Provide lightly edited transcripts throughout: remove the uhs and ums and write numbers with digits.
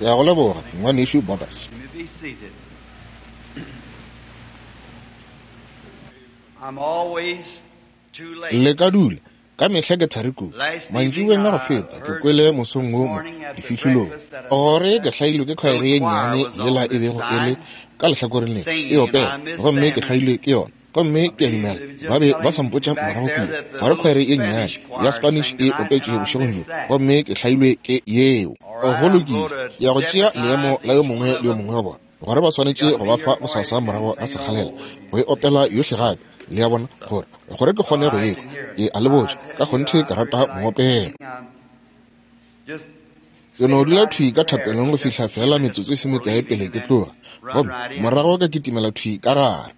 Ke a go leboga, Ngwanešu Borders. Le ka dula. Ka mehla ke thari kudu. Mantšiboeng a go feta, ke kwele mosong wo mo difihlolong gore ke hlailwe ke khwaere ye nnyane yela e bego e le ka lehlakoreng le e opela, gomme ke hlailwe ke yona. Gomme ke a dumela ba be ba sa mpotša morago kua gore khwaere ye nnyane ya Spanish e opetše bošegong bjo, gomme ke hlailwe ke yeo. Go lokile, ke ya go tšea leemo la yo mongwe le yo mongwe wa bona, gore ba swanetše go ba fa bosasa morago ga sekgalela go e opela yohle gape, le a bona, gore, gore ke kgone go e kwa. Ke a le botša, ka kgonthe ke rata moopelo. Ke no dula thwi ka thapelong go fihla feela metsotso e se mekae pele ke tloga, gomme morago ka kitimela thwi ka gare.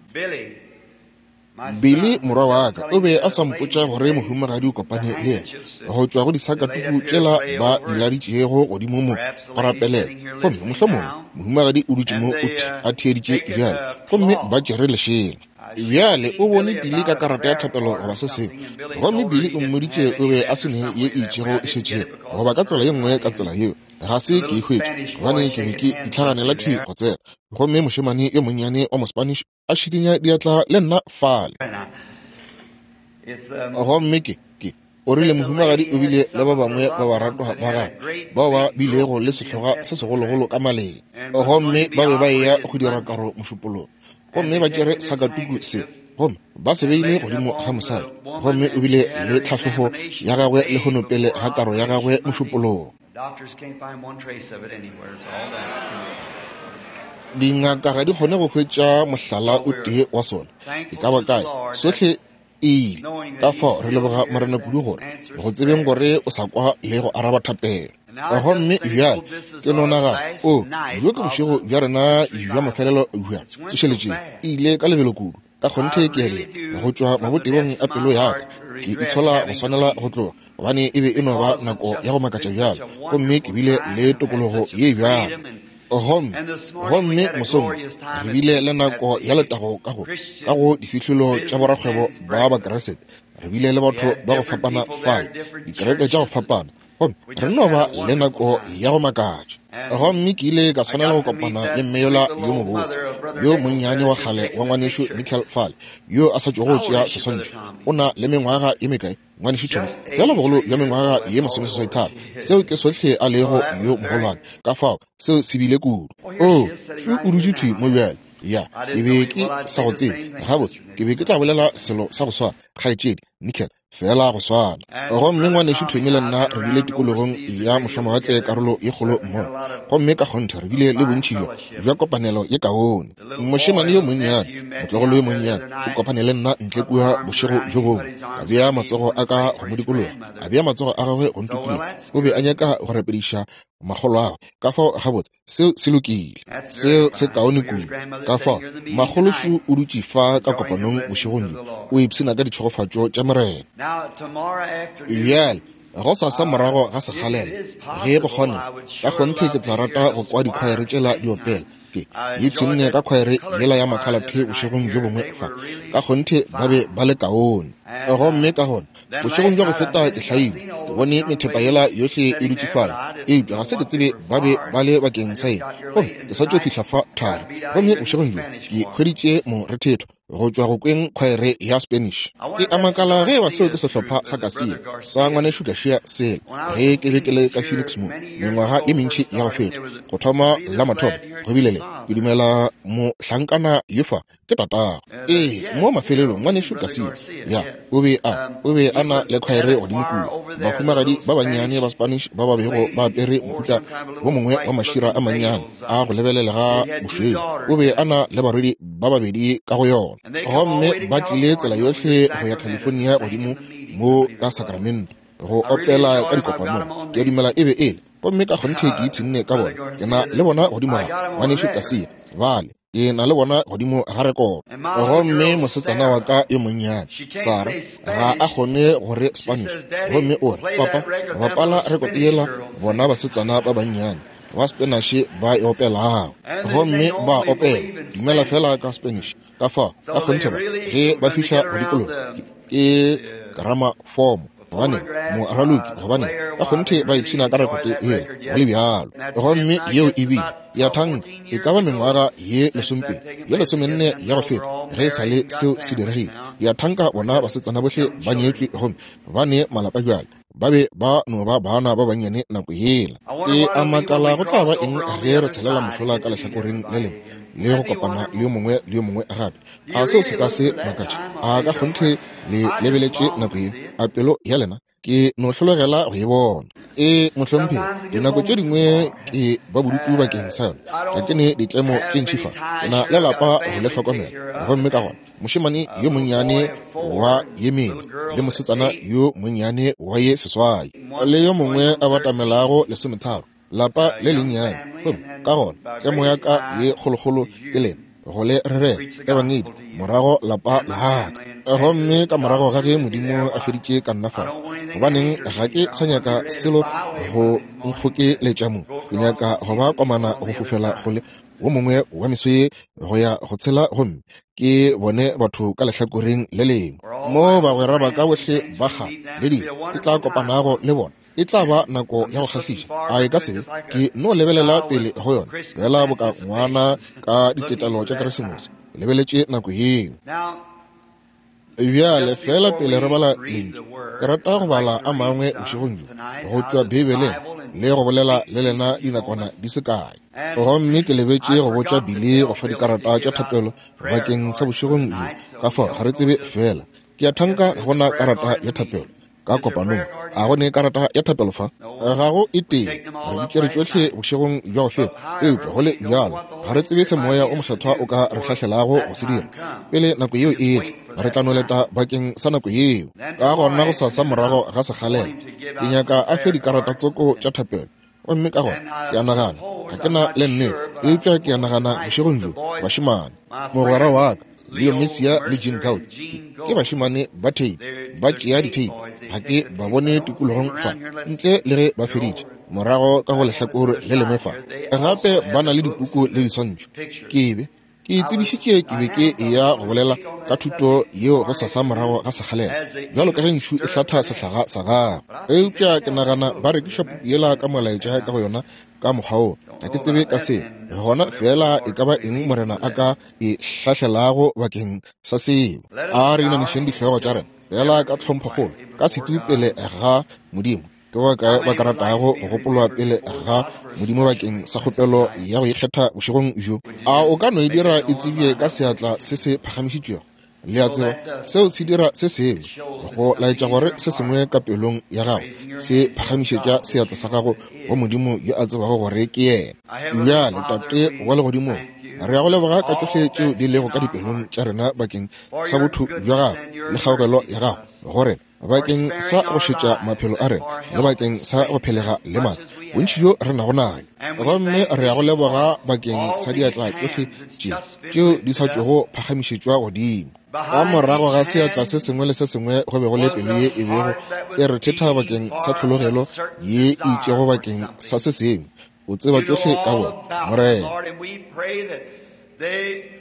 Billy, morwa wa ka, o be a sa mpotša gore mohumagadi o kopane le yena go tšwa go disakatuku tšela ba di laditšego godimo mo go rapelela. Gomme mohlomongwe mohumagadi o dutše mo o a theeditše bjale, gomme ba tšere lešela. Bjale o bone Billy ka karata ya thapelo goba se sengwe, gomme Billy o mmoditše o be a se ne ye e itšego e šetšego, goba ka tsela ye nngwe ka tsela yeo. Ga se ke e hwetše, gobane ke be ke itlhaganela thwi go tsena. Gomme mošemane yo monnyane wa Mospanish a šikinya diatla le nna fale. Gomme ke, ke, o rile mohumagadi o bile le ba bangwe ba baratwa ba gagwe bao ba bilego le sehloga se segologolo ka maleng, gomme ba be ba eya go dira karo mošupologo, gomme ba tšere sakatuku se gomme ba se beile godimo ga mosadi, gomme o bile le tlhahlogo ya gagwe lehono pele ga karo ya gagwe mošupologo. Dingaka ga di kgone go hwetša mohlala o tee wa sona e ka ba kae, sohle e ile. Ka fao re leboga Morena kudu gore go tsebeng gore o sa kwa le go araba thapelo. Gomme bjale ke no nagana, o bjo ke bošego bja rena bja mafelelo bja tsošeletšeng, e ile ka lebelo kudu. Ka kgonthe ke a dira, go tšwa mabotebong a pelo ya ka, ke itshola go swanela go tloga, gobane e be e no ba nako ya go makatša bjalo, gomme ke bile le tokologo ye bjalo. Gomme, gomme mosong re bile le nako ya letago ka go, ka go difihlolo tša borakgwebo ba Bakriste. Re bile le batho ba go fapana fale, dikereke tša go fapana, gomme re no ba le nako ya go makatša. Gomme ke ile ka swanela go kopana le mme yola yo mobose, yo monnyane wa kgale wa ngwanešu Nickel fale, yo a sa tšwago go tšea seswantšho. O na le mengwaga ye mekae, ngwanešu Tom? Feela bogolo bja mengwaga ye masomeseswaitharo. Seo ke sohle a lego yo mogolwane. Ka fao, seo se bile kudu. Oo, šo o dutše thwi mo bjale. Ya, ke be ke sa go tsebe. Gabotse, ke be ke tla bolela selo sa go swana, Kgaetšedi Nickel. Feela go swana. Gomme ngwanešu Tommy le nna re bile tikologong ya mošwamawatle karolo ye kgolo mmogo, gomme ka kgonthe re bile le bontši bjo bja kopanelo ye kaone. Mošemane yo monnyane, motlogolo yo monnyane, o kopane le nna ntle kua bošego bjo bongwe, ka bea matsogo a ka go mo dikologa, a bea matsogo a gagwe go ntukologa. O be a nyaka go rapediša makgoloagwe. Ka fao, gabotse, seo se lokile, seo se kaone kudu. Ka fao, makgološu o dutše fa ka kopanong bošegong bjo, o ipshina ka ditšhegofatšo tša Morena. Bjale, gosasa morago ga sekgalela, ge go kgonega, ka kgonthe ke tla rata go kwa dikhwaere tšela di opela. Ke ipshinne ka khwaere yela ya makhalathe bošegong bjo bongwe fa. Ka kgonthe ba be ba le kaone. Gomme ka gona, bošegong bja go feta ke hlaile, ke bone methepa yela yohle e dutše fale, eupša ga se ke tsebe ba be ba le bakeng sa eng. Gomme ke sa tšo fihla fa thari, gomme bošegong bjo ke hweditše morethetho go tšwa go kweng khwaere ya Spanish. Ke a makala ge eba seo ke sehlopha sa Garcia, sa ngwanešu Garcia sela, ge ke be ke le ka Phoenix mo, mengwaga ye mentši ya go feta. Go thoma la mathomo, go bile le, ke dumela mohlankana yo fa, ke tatago. Ee, mo mafelelong, ngwanešu Garcia, ya, o be a, o be a na le khwaere godimo kua, bahumagadi ba bannyane ba Spanish ba ba bego ba apere mohuta wo mongwe wa mašira a mannyane a go lebelelega bošweu. O be a na le barwedi ba babedi ka go yona. Gomme ba tlile tsela yohle go ya California godimo mo ka Sacramento, go opela ka dikopanong. Ke a dumela e be e le. Gomme ka kgonthe ke ipshinne ka bona. Ke na le bona godimo ga ngwanešu Garcia, bale. Ke na le bona godimo ga rekoto. Gomme mosetsana wa ka yo monnyane, Sarah, ga a kgone go re Spanish. Gomme o re, Papa, bapala rekoto yela bona basetsana ba bannyane ba Spanish ba e opelago. Gomme ba opela, dumela fela ka Spanish. Ka fao, ka kgonthe ba, ge ba fihla go dikologa, ke keramafomo. Gobaneng, moraloki, gobaneng, ka kgonthe ba ipshina ka rekote yela, go le bjalo. Gomme yeo e bile, ya thanka, e ka ba mengwaga ye lesomepedi, ye lesomenne ya go feta, ge e sa le seo se diregile. Ya thanka bona basetsana bohle ba nyetšwe gomme ba ne malapa bjale. Ba be ba no ba bana ba bannyane nako yela. Ke a makala go tla ba eng ge re tshelela mošola ka lehlakoreng le lengwe le go kopana le yo mongwe le yo mongwe gape. A seo se ka se makatše? A ka kgonthe le lebeletše nako ye? A pelo ya lena ke no hlologela go e bona? Ee, mohlomphegi, dinako tše dingwe ke ba bodutu bakeng sa yona. Ga ke ne ditlemo tše ntši fa. Ke na le lapa go le hlokomela. Gomme ka gona mošemane yo monnyane wa ye mene le mosetsana yo monnyane wa ye seswai le yo mongwe a batamelago lesometharo, lapa le lennyane. Gomme ka gona tlemo ya ka ye kgolokgolo ke lena go le rerela ebangedi morago lapa la ka. Gomme ka morago ga ge Modimo a feditše ka nna fa, gobaneng ga ke sa nyaka selo go nkgokeletša mo. Ke nyaka go ba komana go fofela kgole wo mongwe wa meso ye go ya go tshela, gomme ke bone batho ka lehlakoreng le lengwe mo bagwera ba ka bohle ba kgale le dilo ke tla kopanago le bona. E tla ba nako ya go kgahliša, a e ka se be? Ke no lebelela pele go yona, fela boka ngwana ka ditetelo tša Keresemose, lebeletše nako yeo. Bjale, fela pele re bala Lentšu, ke rata go bala a mangwe bošegong bjo go tšwa Beibeleng le go bolela le lena dinakwana di se kae. Gomme ke lebetše go botša Billy go fa dikarata tša thapelo bakeng sa bošegong bjo, ka fao ga re tsebe fela. Ke a thanka ga go na karata ya thapelo ka kopanong. A go ne karata ya thapelo fa? Ga go e tee. Re di tšere tšohle bošegong bja go feta, eupša go le bjalo ga re tsebe se Moya o Mokgethwa o ka re hlahlelago go se dira pele nako yeo e etla. Re tla no leta bakeng sa nako yeo. Ka gona gosasa morago ga sekgalela, ke nyaka a fe dikarata tsoko tša thapelo. Gomme ka gona ke a nagana, ga ke na le nnete, eupša ke a nagana bošegong bjo, bašemane, mogwera wa ka Leo Messia le Gene Gout ke bašemane ba tape, ba tšea ditape. Ga ke ba bone tikologong fa ntle le ge ba feditše morago ka go lehlakore le lengwe fa. Gape ba na le dipuku le diswantšho. Ke be ke tsebišitše ke be ke eya go bolela ka thuto yeo go sasa morago ga sekgalela, bjalo ka ge ntšhu e hlatha sehlaga sa gagwe. Eupša ke nagana ba rekiša puku yela ka molaetša ka go yona ka mokgwa wo. Ga ke tsebe ka se gona, fela e ka ba eng Morena a ka e hlahlelago bakeng sa seo. A re inamišeng dihlogo tša rena fela ka tlhomphokgolo ka setu pele ga Modimo. Ke ba kae ba ka ratago go gopolwa pele ga Modimo bakeng sa kgopelo ya go ikgetha bošegong bjo? A o ka no e dira e tsebje ka seatla se se phagamišitšwego? Le a tseba, seo se dira se sengwe go laetša gore se sengwe ka pelong ya gago se phagamišetša seatla sa gago go Modimo yo a tsebago gore ke yena. Bjale, Tate wa Legodimong, re a go leboga ka tšohle tšeo di lego ka dipelong tša rena bakeng sa botho bja gago le kgaogelo ya gago go rena, bakeng sa go šetša maphelo a rena le bakeng sa go phelega le maatla bontši bjo re nago nayo. Gomme re ya go leboga bakeng sa diatla tšohle tše tšeo di sa tšwego phagamišetšwa godimo. Ka morago ga seatla se sengwe le se sengwe go be go le pelo ye e bego e rethetha bakeng sa tlhologelo ye e itšego bakeng sa se sengwe. O tseba tšohle ka bona, Morena.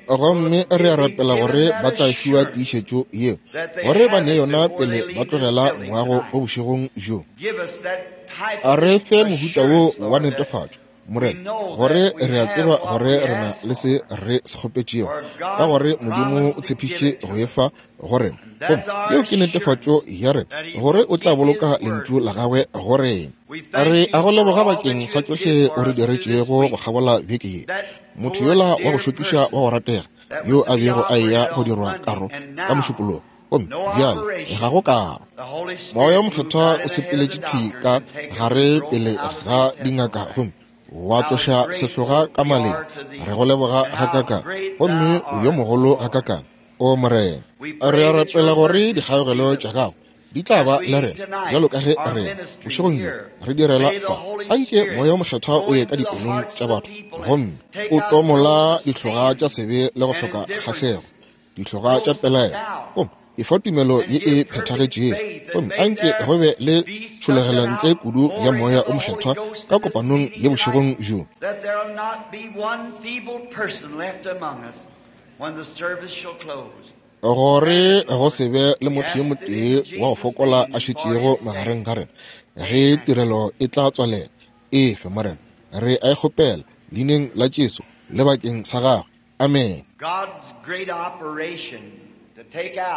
Gomme re a rapela gore ba tla fiwa tiišetšo yeo, gore ba ne yona pele ba tlogela moago o bošegong bjo. A re fe mohuta wo wa netefatšo, Morena, gore re a tseba gore re na le se re se kgopetšego, ka gore Modimo o tshepišitše go e fa go rena. Gomme yeo ke netefatšo ya rena, gore o tla boloka Lentšu la Gagwe go rena. Re a go leboga bakeng sa tšohle o re diretšego go kgabola beke ye. Motho yola wa go šokiša wa go ratega yo a bego a eya go dirwa karo ka Mošupologo, gomme bjale ga go karo. Moya wo Mokgethwa o sepeletše thwi ka gare pele ga dingaka gomme wa tloša sehloga ka maleng. Re go leboga gakakang, gomme o yo mogolo gakakang, o Morena. Re a rapela gore dikgaogelo tša gago di tla ba le rena bjalo ka ge rena bošegong bjo re direla fa. Anke Moya wo Mokgethwa o ye ka dipelong tša batho gomme o tomola dihloga tša sebe le go hloka kgahlego, dihloga tša pelaelo, gomme e fa tumelo ye e phethagetšego. Gomme anke go be le tšhologelo ntle kudu ya Moya wo Mokgethwa ka kopanong ye bošegong bjo. When the service shall close. Gore go se be le motho yo motee wa go fokola a šetšego magareng ga rena ge tirelo e tla tswalela. Efe, Morena, re a e kgopela leineng la Jesu le bakeng sa gagwe. Amen.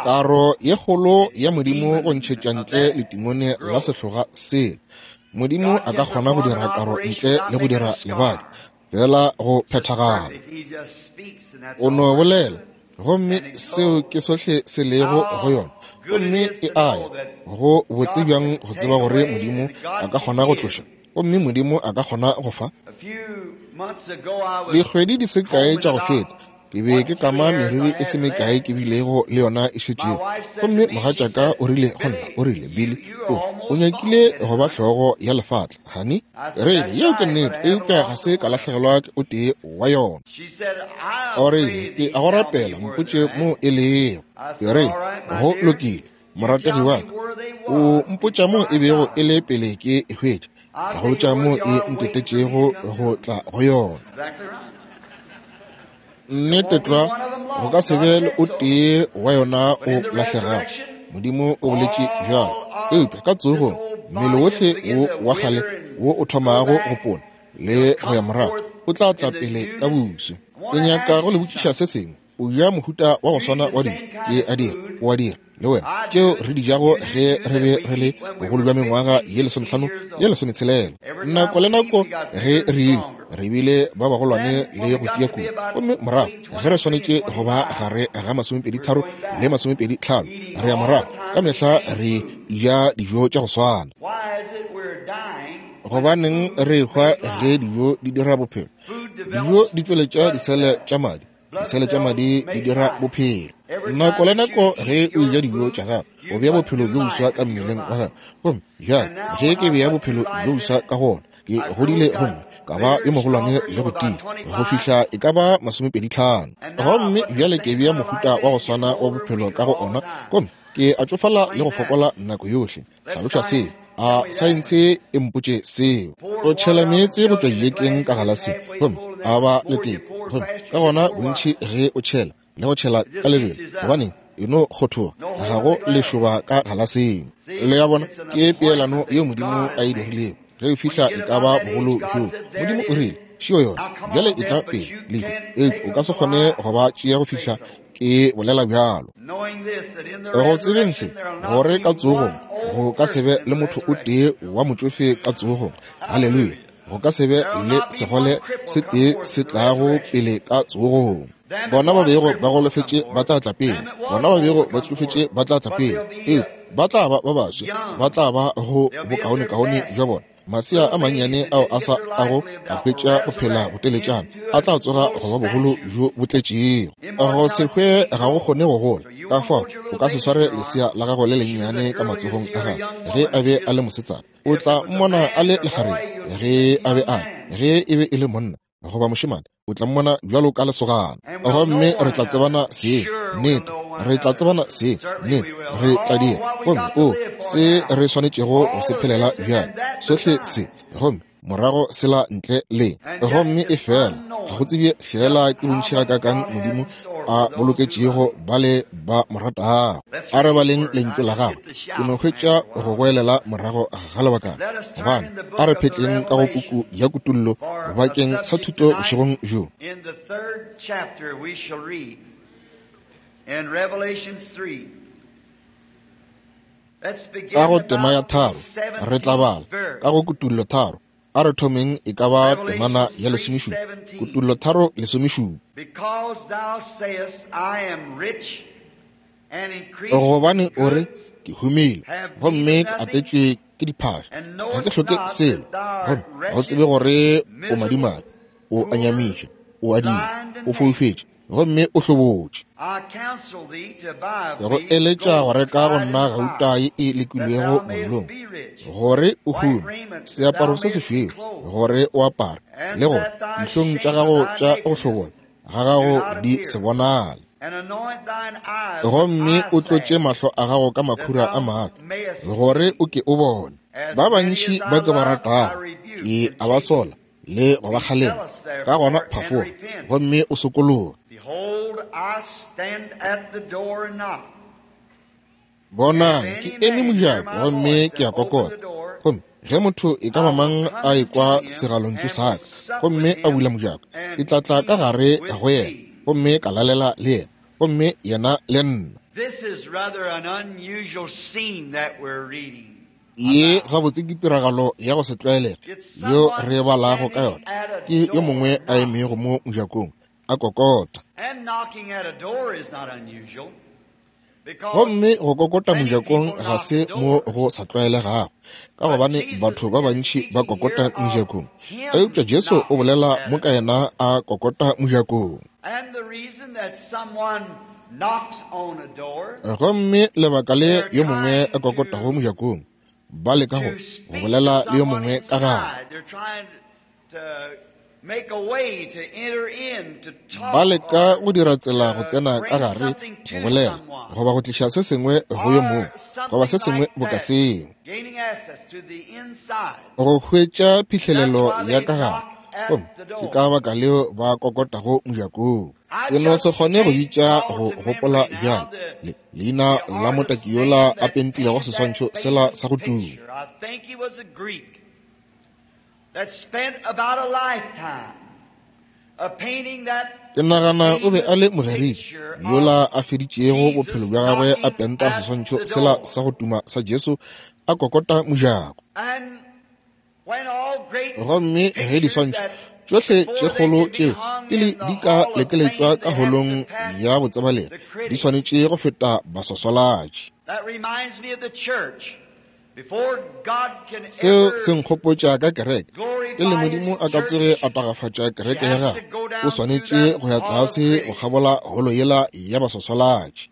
Karo ye kgolo ya Modimo go ntšhetša ntle letimone la sehloga sela. Modimo a ka kgona go dira karo ntle le go dira lebadi, fela go phethagala. O no bolela, gomme seo ke sohle se lego go yona, gomme e a ya. Go botse bjang go tseba gore Modimo a ka kgona go tloša, gomme Modimo a ka kgona go fa. Dikgwedi di se kae tša go feta, ke be ke kama meriri e se mekae ke bilego le yona e šetšego, gomme mogatšaka o rile go nna, o rile, Billy, o nyakile go ba hlogo ya lefatla, honey. Rile, yeo ke nnete, eupša ga se ka lahlegelwa ke o tee wa yona. O rile, ke a go rapela, mpotše mo e lego. Ke rile, go lokile, morategi wa ka, o mpotša mo e bego e le pele ke e hwetša, tla go botša mo e ntetetšego go tla go yona. Nnete tlwa, go ka se be le o tee wa yona o lahlegago. Modimo o boletše bjalo. Eupša ka tsogong, mmele wohle wo wa kgale wo o thomago go pona le go ya morago o tla tla pele ka boso. Ke nyaka go le botšiša se sengwe. O ja mohuta wa go swana wa dijo, ke a dira, o a dira le wena, tšeo re di jago ge re be re le bogolo bja mengwaga ye 15 ye 16. Nako le nako ge re ile, re bile ba bagolwane le go tia kudu, gomme morago ge re swanetše go ba gare ga 23 le 25, re ya morago, ka mehla re ja dijo tša go swana. Gobaneng re hwa ge dijo di dira bophelo? Dijo di tšweletša disele tša madi, disele tša madi di dira bophelo. Nako le nako ge o eja dijo tša gago, o bea bophelo bjo boswa ka mmeleng wa gago. Gomme bjale ge ke bea bophelo bjo boswa ka go ona, ke godile gomme ka ba yo mogolwane le go tia go fihla e ka ba 25. Gomme bjale ke bea mohuta wa go swana wa bophelo ka go ona, gomme ke a tšofala le go fokola nako yohle. Hlaloša seo. A saense e mpotše seo. O tšhela meetse go tšwa dijekeng ka galaseng, gomme a ba le teko, gomme ka gona bontši ge o tšhela le go tšhela ka lebelo, gobaneng e no kgothoga, ga go lešoba ka galaseng. Le ya bona, ke peelano yeo Modimo a e dirilego. Ge e fihla e ka ba bogolo bjoo, Modimo o rile, šio yona, bjale e tla pele, lehu, eupša o ka se kgone go ba tšea go fihla ke bolela bjalo. Go tsebeng se, gore ka tsogong go ka se be le motho o tee wa motšofe ka tsogong. Haleluya! Go ka se be le segole se tee se tlago pele ka tsogong. Bona ba bego ba golofetše ba tla tla pele, bona ba bego ba tšofetše ba tla tla pele, eupša ba tla ba ba baswa, ba tla ba go bokaonekaone bja bona. Masea a mannyane ao a sa ago a hwetša go phela boteletšana a tla tsoga go ba bogolo bjo bo tletšego. Go se hwe ga go kgone go gola, ka fao o ka se sware lesea la gago le lennyane ka matsogong a gago ge a be a le mosetsana. O tla mmona a le lekgarebe ge a be a ge e be e le monna goba mošemane, o tla mmona bjalo ka lesogana. Gomme re tla tsebana se, nnete re tla tsebana se, nnete re tla dira. Gomme o se re swanetšego go se phelela bjale, sohle se, gomme morago sela ntle le. Gomme e fela ga go tsebje fela ke bontši gakaakang Modimo a boloketšego bale ba mo ratago. A re baleng lentšu la gagwe. Ke no hwetša go goelela morago ga lebakana, gobane a re phetleng ka go puku ya Kutullo bakeng sa thuto bošegong bjo. In the third chapter we shall read in Revelations 3. Let's begin Ka go tema ya about tharo the re tla bala 17th verse. ka go Kutullo 3. A re thomeng e ka ba temana ya 17, Kutullo 3:17. Because thou sayest, I am rich and increased Gobane in o re, goods, ke humile, gomme ke atetšwe ke diphaša, ga ke hloke selo, gomme ga o tsebe gore o madimabe, o a nyamiša, o a dila, o foufetše, gomme o hlobotše. I counsel thee to buy of Ke go me eletša go gold reka go tried in nna the gauta fire, ye e that lekilwego thou mayest mollong, be rich, gore o white hume, raiment, that thou seaparo se mayest be sešweu, clothed, gore o apare, and le gore that thy dihlong tša shame of gago thy tša go nakedness hlobola ga do gago not di appear, se bonale. and anoint thine eyes with Gomme eye o tlotše salve, mahlo a gago ka that makhura a thou maatla, mayest gore see. o ke o bone. As Ba many as bantši I ba ke ba love, I ratago, rebuke ke and a ba chasten. sola le go ba Be kgalema. zealous Ka gona therefore and phafoga repent. gomme o sokologe. Behold, Bonang, ke eme mojako gomme ke a kokota. Gomme ge motho e ka ba mang a ekwa segalontšu sa ka gomme a bula mojako, ke tla tla ka gare go yena gomme ka lalela le yena, gomme yena le nna. Ye gabotse ke tiragalo ya go se tlwaelege yo re balago ka yona. Ke yo mongwe a emego mo mojakong a kokota. Gomme go kokota mojakong ga se mo go sa tlwaelegago, ka gobane batho ba bantši ba kokota mejakong. Eupša Jesu o bolela mo ka yena a kokota mojakong. Gomme lebaka le yo mongwe a kokotago mojakong, ba leka go bolela le yo mongwe ka gare. Ba leka go dira tsela go tsena ka gare, go bolela goba go tliša se sengwe go yo mongwe, goba se sengwe boka seo, go hwetša phihlelelo ya ka gare. Gomme ke ka baka leo ba kokotago mojakong. Ke no se kgone go bitša go gopola bjale leina la motaki yola a pentilego seswantšho sela sa go tuma. Ke nagana o be a le Mogerike yola a feditšego bophelo bja gagwe a penta seswantšho sela sa go tuma sa Jesu a kokota mojako. Gomme ge diswantšho tšohle tše kgolo tšeo pele di ka lekeletšwa ka holong ya botsebalegi, di swanetše go feta baswaswalatši. Seo se nkgopotša ka kereke. Pele Modimo a ka tsoge a tagafatša kereke ya gagwe, o swanetše go ya tlase go kgabola holo yela ya baswaswalatši.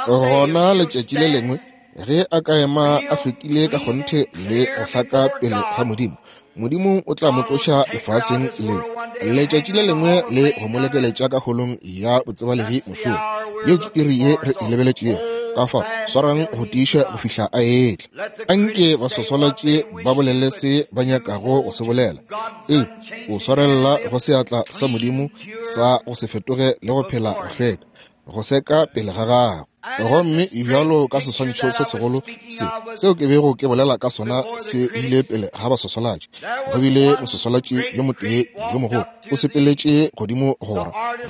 Gona letšatši le lengwe ge a ka ema a hlwekile ka kgonthe le go hlaka pele ga Modimo, Modimo o tla mo tloša lefaseng le letšatši le lengwe le go mo lekeletša ka holong ya botsebalegi mošomo. Yeo ke iri ye re e lebeletšego. Ka fao swarang go tiiša go fihla a etla. Anke baswaswalatši ba bolele se ba nyakago go se bolela, eupša o swarelela go seatla sa Modimo sa go se fetoge le go phela go hlweka, go seka pele ga gagwe. Gomme bjalo ka seswantšho se segolo se seo ke bego ke bolela ka sona se bile pele ga baswaswalatši. Go bile moswaswalatši yo motee yo mogolo o sepeletše godimo go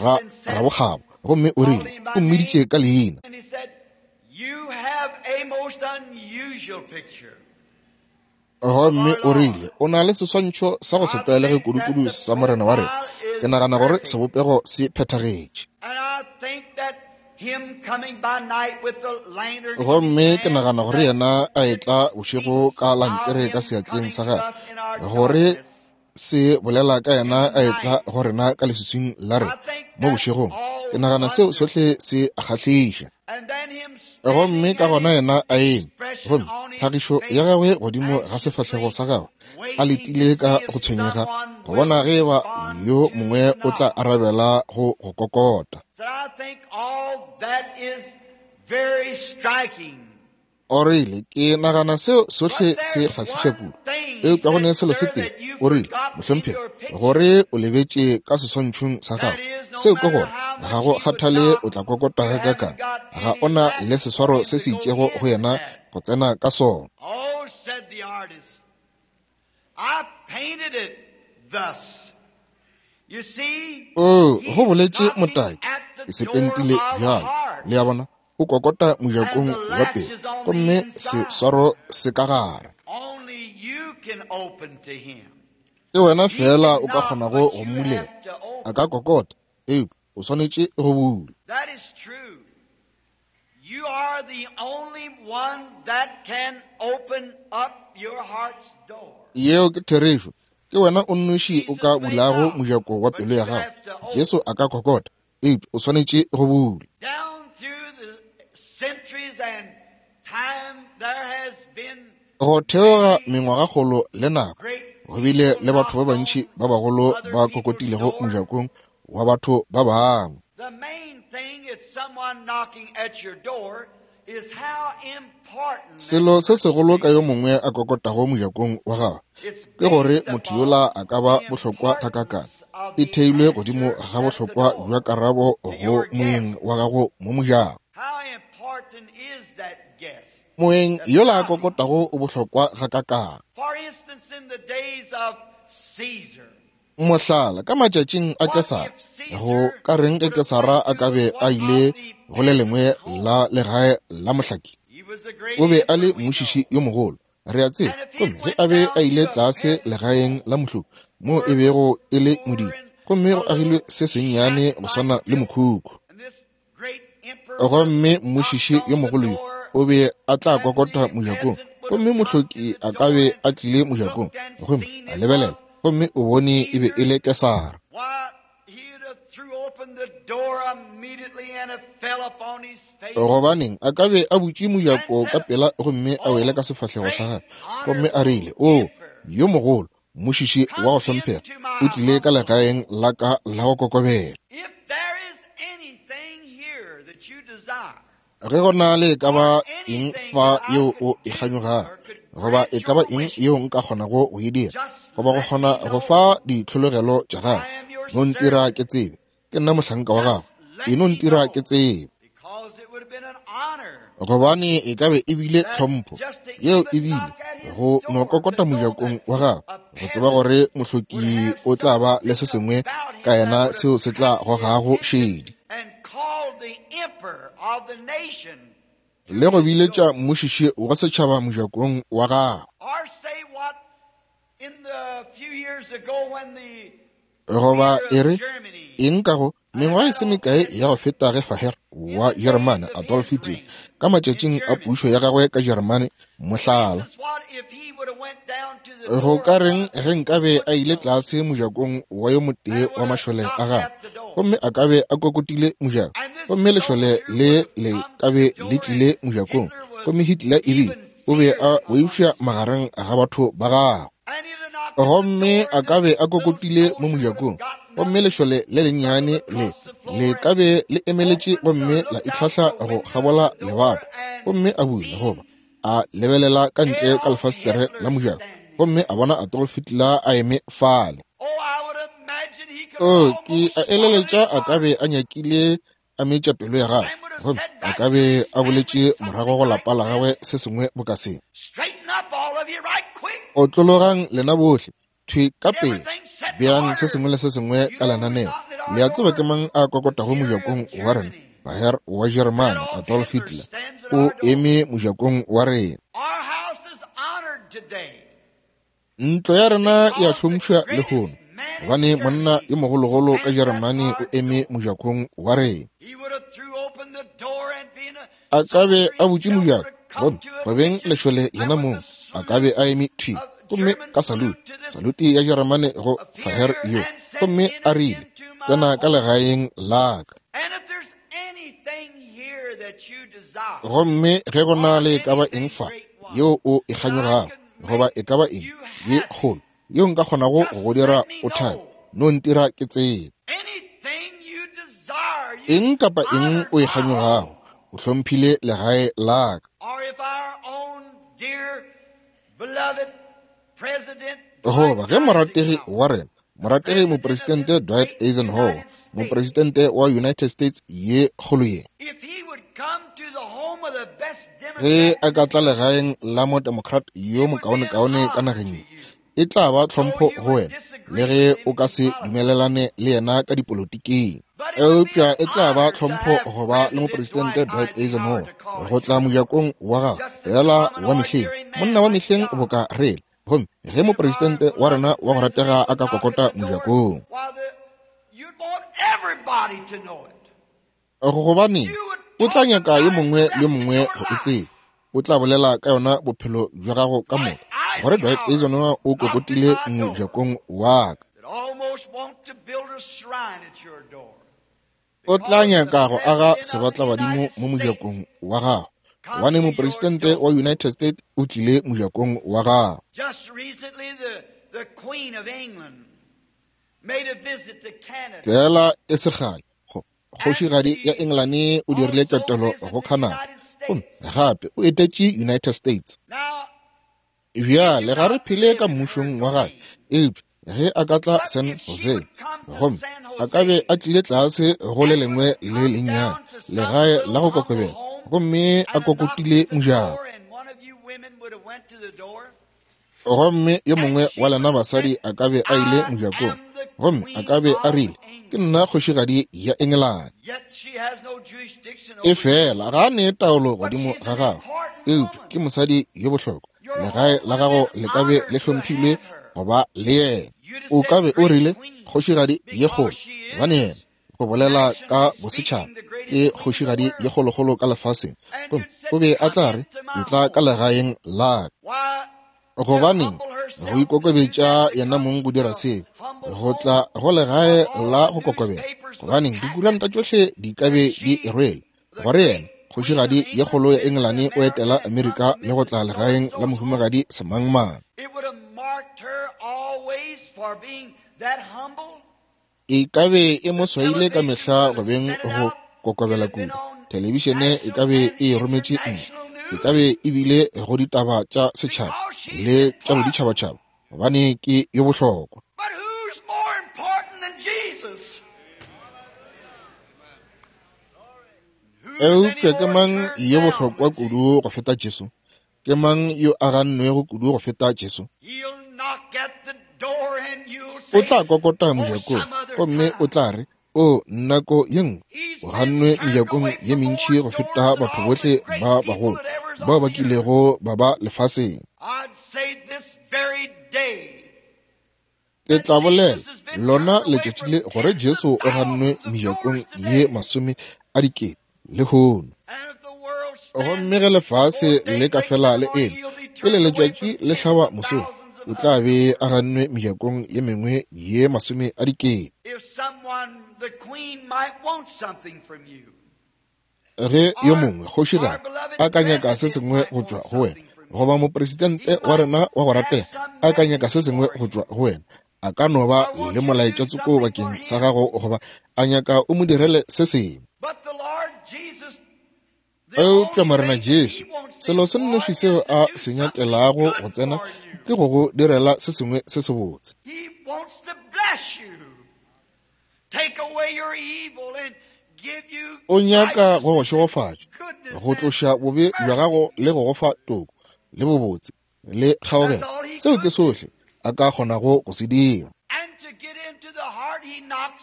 ga rabokgabo, gomme o rile, o mmiditše ka leina. Gomme o rile, o na le seswantšho sa go se tlwaelege kudukudu sa Morena wa rena. Ke nagana gore sebopego se phethagetše. Gomme ke nagana gore yena a etla bošego ka lantere ka seatleng sa gagwe, gore se bolela ka yena a etla go rena ka leswiswing la rena mo bošegong. Ke nagana seo sohle se a kgahliša. Gomme ka gona yena a eme, gomme tlhagišo ya gagwe godimo ga sefahlego sa gagwe, a letile ka go tshwenyega go bona ge eba yo mongwe o tla arabela go go kokota. O rile, ke nagana seo sohle se kgahliša kudu. Eupša go ne selo se tee, o rile, mohlomphegi, gore o lebetše ka seswantšhong sa gago. Seo ke gore ga go kgathale o tla kokota gakakang, ga o na le seswaro se se itšego go yena go tsena ka sona. Oo, go boletše motaki, ke se pentile bjalo. Le a bona? O kokota mojakong wa pele, gomme seswaro se ka gare. Ke wena fela o ka kgonago go mmulela. A ka kokota, eupša o swanetše go bula. Yeo ke therešo. Ke wena o nnoši o ka bulago mojako wa pelo ya gago. Jesu a ka kokota, eupša o swanetše go bula. Go theoga mengwagakgolo le nako, go bile le batho ba bantši ba bagolo ba kokotilego mojakong wa batho ba bangwe. Selo se segolo ka yo mongwe a kokotago mojakong wa gagwe ke gore motho yola a ka ba bohlokwa gakaakang. E theilwe godimo ga bohlokwa bja karabo go moeng wa gago mo mojako. Moeng yola a kokotago o bohlokwa gakaakang. Mohlala, ka matšatšing a Kesara, go ka reng ge Kesara a ka be a ile go le lengwe la legae la mohlaki? O be a le mmušiši yo mogolo, re a tseba. Gomme ge a be a ile tlase legaeng la mohloki, moo e bego e le modimo, gomme go agilwe se sennyane go swana le mokhukhu. Gomme mmušiši yo mogolo yo o be a tla kokota mojakong, gomme mohloki a ka be a tlile mojakong, gomme a lebelela, gomme o bone e be e le Kesara. Gobaneng, a ka be a butše mojako ka pela gomme a wele ka sefahlego sa gagwe, gomme a rile, O yo mogolo, mmušiši wa go hlomphega, o tlile ka legaeng la ka la go kokobela. Ge go na le e ka ba eng fa yeo o e kganyogago, goba e ka ba eng yeo nka kgonago go e dira, goba go kgona go fa ditlhologelo tša gago, no ntira ke tsebe, ke nna mohlanka wa gago, e no ntira ke tsebe. Gobane e ka be e bile tlhompho yeo e bile go no kokota mojakong wa gago, go tseba gore mohloki o tla ba le se sengwe ka yena seo se tla gogago šedi, le go biletša mmušiši wa setšhaba mojakong wa gago. Goba e re eng ka go mengwaga e se mekae ya go feta ge Faher wa Jeremane Adolf Hitler ka matšatšing a pušo ya gagwe ka Jeremane, mohlala, go ka reng ge nkabe a ile tlase mojakong wa yo motee wa mašole a gagwe, gomme a ka be a kokotile mojako, gomme lešole le le ka be le tlile mojakong, gomme Hitler ebile o be a boifša magareng ga batho ba gagwe, gomme a ka be a kokotile mo mojakong, gomme lešole le lennyane le le ka be le emeletše gomme la itlhahla go kgabola lebato, gomme a bula goba a lebelela ka ntle ka lefastere la mojako, gomme a bona Adolf Hitler a eme fale. O, ke a eleletša a ka be a nyakile a metša pelo ya gagwe, gomme a ka be a boletše morago go lapa la gagwe se sengwe boka se. Otlologang lena bohle, thwi ka pele, beang se sengwe le se sengwe ka lenaneo. Le a tseba ke mang a kokotago mojakong wa rena? Baher wa Jeremane Adolf Hitler o eme mojakong wa rena. Ntlo ya rena e a hlompšha lehono, gobane monna yo mogologolo ka Jeremane o eme mojakong wa rena. A ka be a butše mojako, gomme go beng lešole yena mong a ka be a eme thwi, gomme ka salute, salute ya Jeremane go Faher yo, gomme a rile, tsena ka legaeng la ka. Gomme ge go na le e ka ba eng fa yeo o e kganyogago, goba e ka ba eng ye kgolo yeo nka kgonago go go dira o thabe, no ntira ke tsebe. Eng kapa eng o e kganyogago, o hlomphile legae la ka. Goba ge morategi wa rena, morategi mopresidente Dwight Eisenhower, mopresidente wa United States ye kgolo ye, ge a ka tla legaeng la mo-Democrat yo mokaonekaone ka nageng ye, e tla ba tlhompho go wena, le ge o ka se dumelelane le yena ka dipolotiking. Eupša e tla ba tlhompho go ba le mopresidente Dwight Eisenhower go tla mojakong wa gagwe fela wa mehleng, monna wa mehleng boka rele. Gomme ge mopresidente wa rena wa go ratega a ka kokota mojakong, gobaneng, o tla nyaka yo mongwe le yo mongwe go e tseba. O tla bolela ka yona bophelo bja gago ka moka, gore Dwight Eisenhower o kokotile mojakong wa ka. O tla nyaka go aga sebatlabadimo mo mojakong wa gago, gobane mopresidente wa United States o tlile mojakong wa gago. Fela e se kgale, kgošigadi ya Engelane o dirile ketelo go Canada, Gomme gape o etetše United States. Bjale ga re phele ka mmušong wa gagwe, eupša ge a ka tla San Jose, gomme a ka be a tlile tlase go le lengwe le lennyane legae la go kokobela, gomme a kokotile mojako, gomme yo mongwe wa lena basadi a ka be a ile mojakong, gomme a ka be a rile, Ke nna kgošigadi ya Engelane. Efela ga a ne taolo godimo ga gagwe, eupša ke mosadi yo bohlokwa. Legae la gago le ka be le hlomphilwe go ba le yena. O ka be o rile, Kgošigadi ye kgolo, gobane yena, go bolela ka bosetšhaba, ke kgošigadi ye kgolokgolo ka lefaseng. Gomme o be a tla re, Etla ka legaeng la ka. Gobaneng, go ikokobetša yena mong go dira seo, go tla go legae la go kokobela. Gobaneng, dikuranta tšohle di ka be di e rwele, gore yena, kgošigadi ye kgolo ya Engelane, o etela Amerika le go tla legaeng la mohumagadi semangmang. E ka be e mo swaile ka mehla go beng go kokobela kudu. Thelebišene e ka be e e rometše ntle. E ka be e bile go ditaba tša setšhaba le tša boditšhabatšhaba, gobane ke yo bohlokwa. Eupša ke mang yo bohlokwa kudu go feta Jesu? Ke mang yo a gannwego kudu go feta Jesu? O tla kokota mojakong gomme o tla re, O, nako ye nngwe o gannwe mejakong ye mentši go feta batho bohle ba bagolo bao ba kilego ba ba lefaseng. Ke tla bolela lona letšatši le gore Jesu o gannwe mejakong ye 100 000 lehono. Gomme ge lefase le ka fela le eme pele letšatši le hlaba mosong, o tla be a gannwe mejakong ye mengwe ye 100 000. Ge yo mongwe kgošigadi a ka nyaka se sengwe go tšwa go wena, goba mopresidente wa rena wa go ratega a ka nyaka se sengwe go tšwa go wena, a ka no ba le molaetša tsoko bakeng sa gago, goba a nyaka o mo direle se sengwe. Eupša Morena Jesu, selo se nnoši seo a se nyakelago go tsena ke go go direla se sengwe se sebotse. O nyaka go go šegofatša, go tloša bobe bja gago le go go fa toko le bobotse le kgaogelo. Seo ke sohle a ka kgonago go se dira.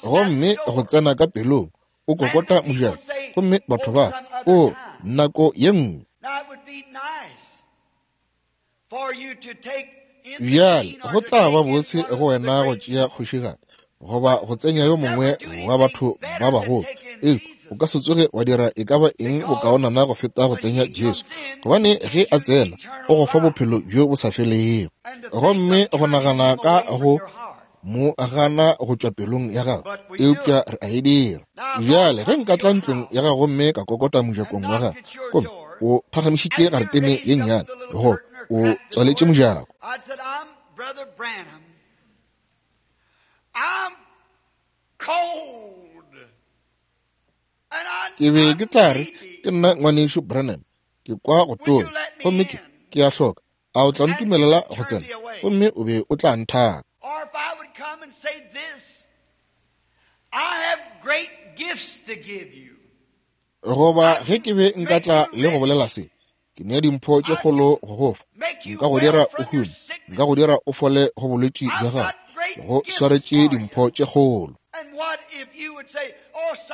Gomme go tsena ka pelong, o kokota mojako, gomme batho ba, o, nako ye nngwe. Bjale go tla ba bose go wena go tšea kgošigadi goba go tsenya yo mongwe wa batho ba bagolo, eupša o ka se tsoge wa dira e ka ba eng bokaonana go feta go tsenya Jesu, gobane ge a tsena o go fa bophelo bjo bo sa felego. Gomme go nagana ka go mo gana go tšwa pelong ya gago, eupša re a e dira. Bjale ge nka tla ntlong ya gago gomme ka kokota mojakong wa gago, gomme o phagamišitše garetene ye nnyane, goba o tswaletše mojako, ke be ke tla re, Ke nna ngwanešu Branham, ke kwa go tonya, gomme ke a hloka. A o tla ntumelela go tsena? Gomme o be o tla nthaka. Goba ge ke be nka tla le go bolela se, ke nea dimpho tše kgolo go go fa, nka go dira o hume, nka go dira o fole go bolwetši bja gago, go swaretše dimpho tše kgolo.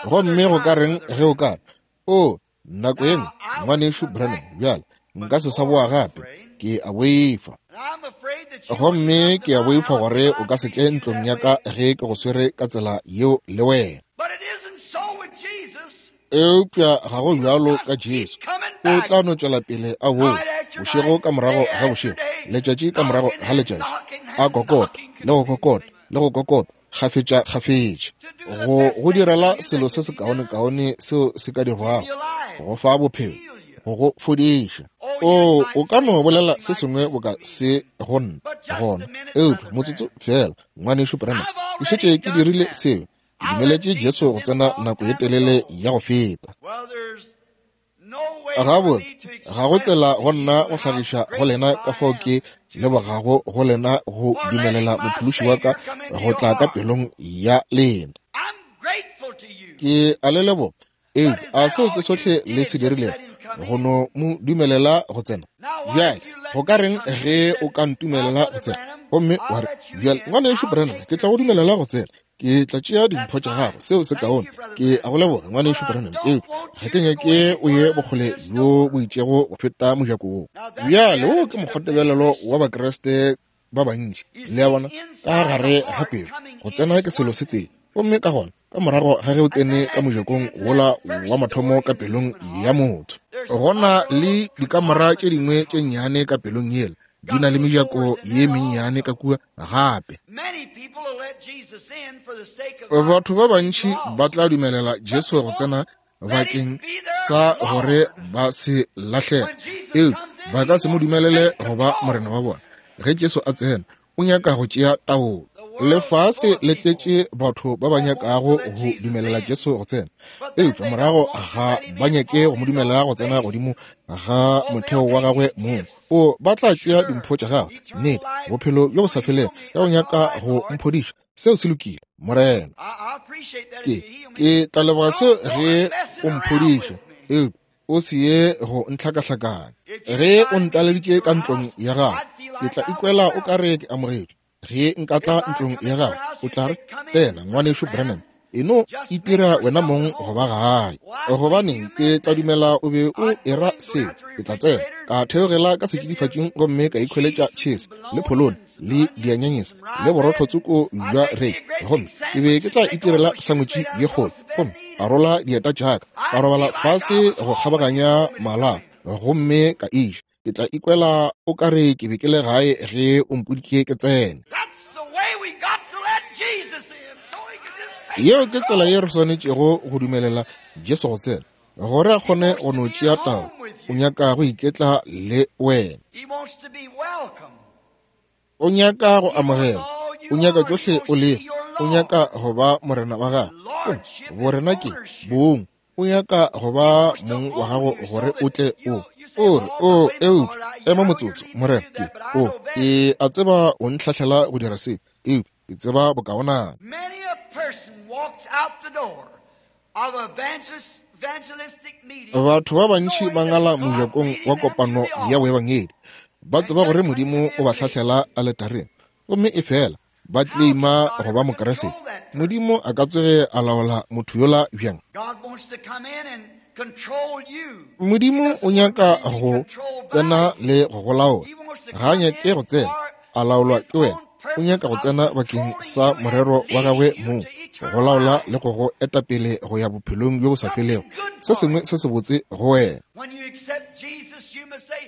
Gomme go ka reng ge o ka re, O, nako ye nngwe, ngwanešu Branham, bjale nka se sa boa gape, ke a boifa. Gomme ke a boifa gore o ka se tle ntlong ya ka ge ke go swere ka tsela yeo le wena. Eupša ga go bjalo ka Jesu. O tla no tšwela pele a boa, bošego ka morago ga bošego, letšatši ka morago ga letšatši, a kokota le go kokota le go kokota, kgafetša kgafetša, go go direla selo se sekaonekaone seo se ka dirwago, go fa bophelo, go go fodiša. O, o ka no bolela se sengwe boka se go nna gona, eupša motsotso feela, ngwanešu Branham, ke šetše ke dirile seo. Ke dumeletše Jesu go tsena nako ye telele ya go feta. Gabotse, ga go tsela go nna go hlagiša go lena ka fao ke lebogago go lena go dumelela Mophološi wa ka go tla ka pelong ya lena. Ke a le leboga. Eupša a seo ke sohle le se dirilego, go no mo dumelela go tsena? Bjale, go ka reng ge o ka ntumelela go tsena, gomme wa re, Bjale, Ngwanešu Branham, ke tla go dumelela go tsena. Ke tla tšea dimpho tša gago. Seo se kaone. Ke a go leboga, Ngwanešu Branham, eupša ga ke nyake o ye bokgole bjo bo itšego go feta mojako wo. Bjale, wo ke mokgwatebelelo wa Bakriste ba bantši. Le a bona, ka gare ga pelo, go tsena ke selo se tee. Gomme ka gona, ka morago ga ge o tsene ka mojakong wola wa mathomo ka pelong ya motho, go na le dikamora tše dingwe tše nnyane ka pelong yela, di na le mejako ye mennyane ka kua gape. Batho ba bantši ba tla dumelela Jesu go tsena bakeng sa gore ba se lahlege, eupša ba ka se mo dumelele go ba morena wa bona. Ge Jesu a tsena, o nyaka go tšea taolo. Lefase le tletše batho ba ba nyakago go dumelela Jesu go tsena, eupša morago ga ba nyake go mo dumelela go tsena godimo ga motheo wa gagwe mong. O ba tla tšea dimpho tša gagwe, nnete, bophelo bjo bo sa felego, ka go nyaka go mphodiša. Seo se lokile, Morena. Ke tla leboga seo ge o mphodiša, eupša o se ye go ntlhakahlakanya. Ge o ntaleditše ka ntlong ya gago, ke tla ikwela o ka re ke amogetšwe. Ge nka tla ntlong ya gago, o tla re, Tsena, Ngwanešu Branham, e no itira wena mong go ba gae. Gobaneng, ke tla dumela o be o era seo. Ke tla tsena, ka theogela ka setšidifatšing gomme ka ikhweletša tšhese le pholone le dianyanyese le borotho tsoko bja rei, gomme ke be ke tla itirela sangwetši ye kgolo, gomme ka rola dieta tša ka, ka robala fase go kgabaganya mala gomme ka iša. Ke tla ikwela o ka re ke be ke le gae ge o mpoditše ke tsene. Yeo ke tsela ye re swanetšego go dumelela Jesu go tsena, gore a kgone go no tšea taolo. O nyaka go iketla le wena. O nyaka go amogela. O nyaka tšohle o lego. O nyaka go ba morena wa gago. Borena ke bong. O nyaka go ba mong wa gago gore o tle o o re, o eupša ema motsotso, morena, ke o ke a tseba o ntlhahlela go dira se, eupša ke tseba bokaonana. Batho ba bantši ba ngala mojakong wa kopano ya boebangedi, ba tseba gore Modimo o ba hlahlela aletareng, gomme efela ba tleima go ba Mokriste. Modimo a ka tsoge a laola motho yola bjang? Modimo o nyaka go tsena le go go laola. Ga a nyake go tsena a laolwa ke wena. O nyaka go tsena bakeng sa morero wa gagwe mong, go laola le go go eta pele go ya bophelong bjo bo sa felego, se sengwe se sebotse go wena.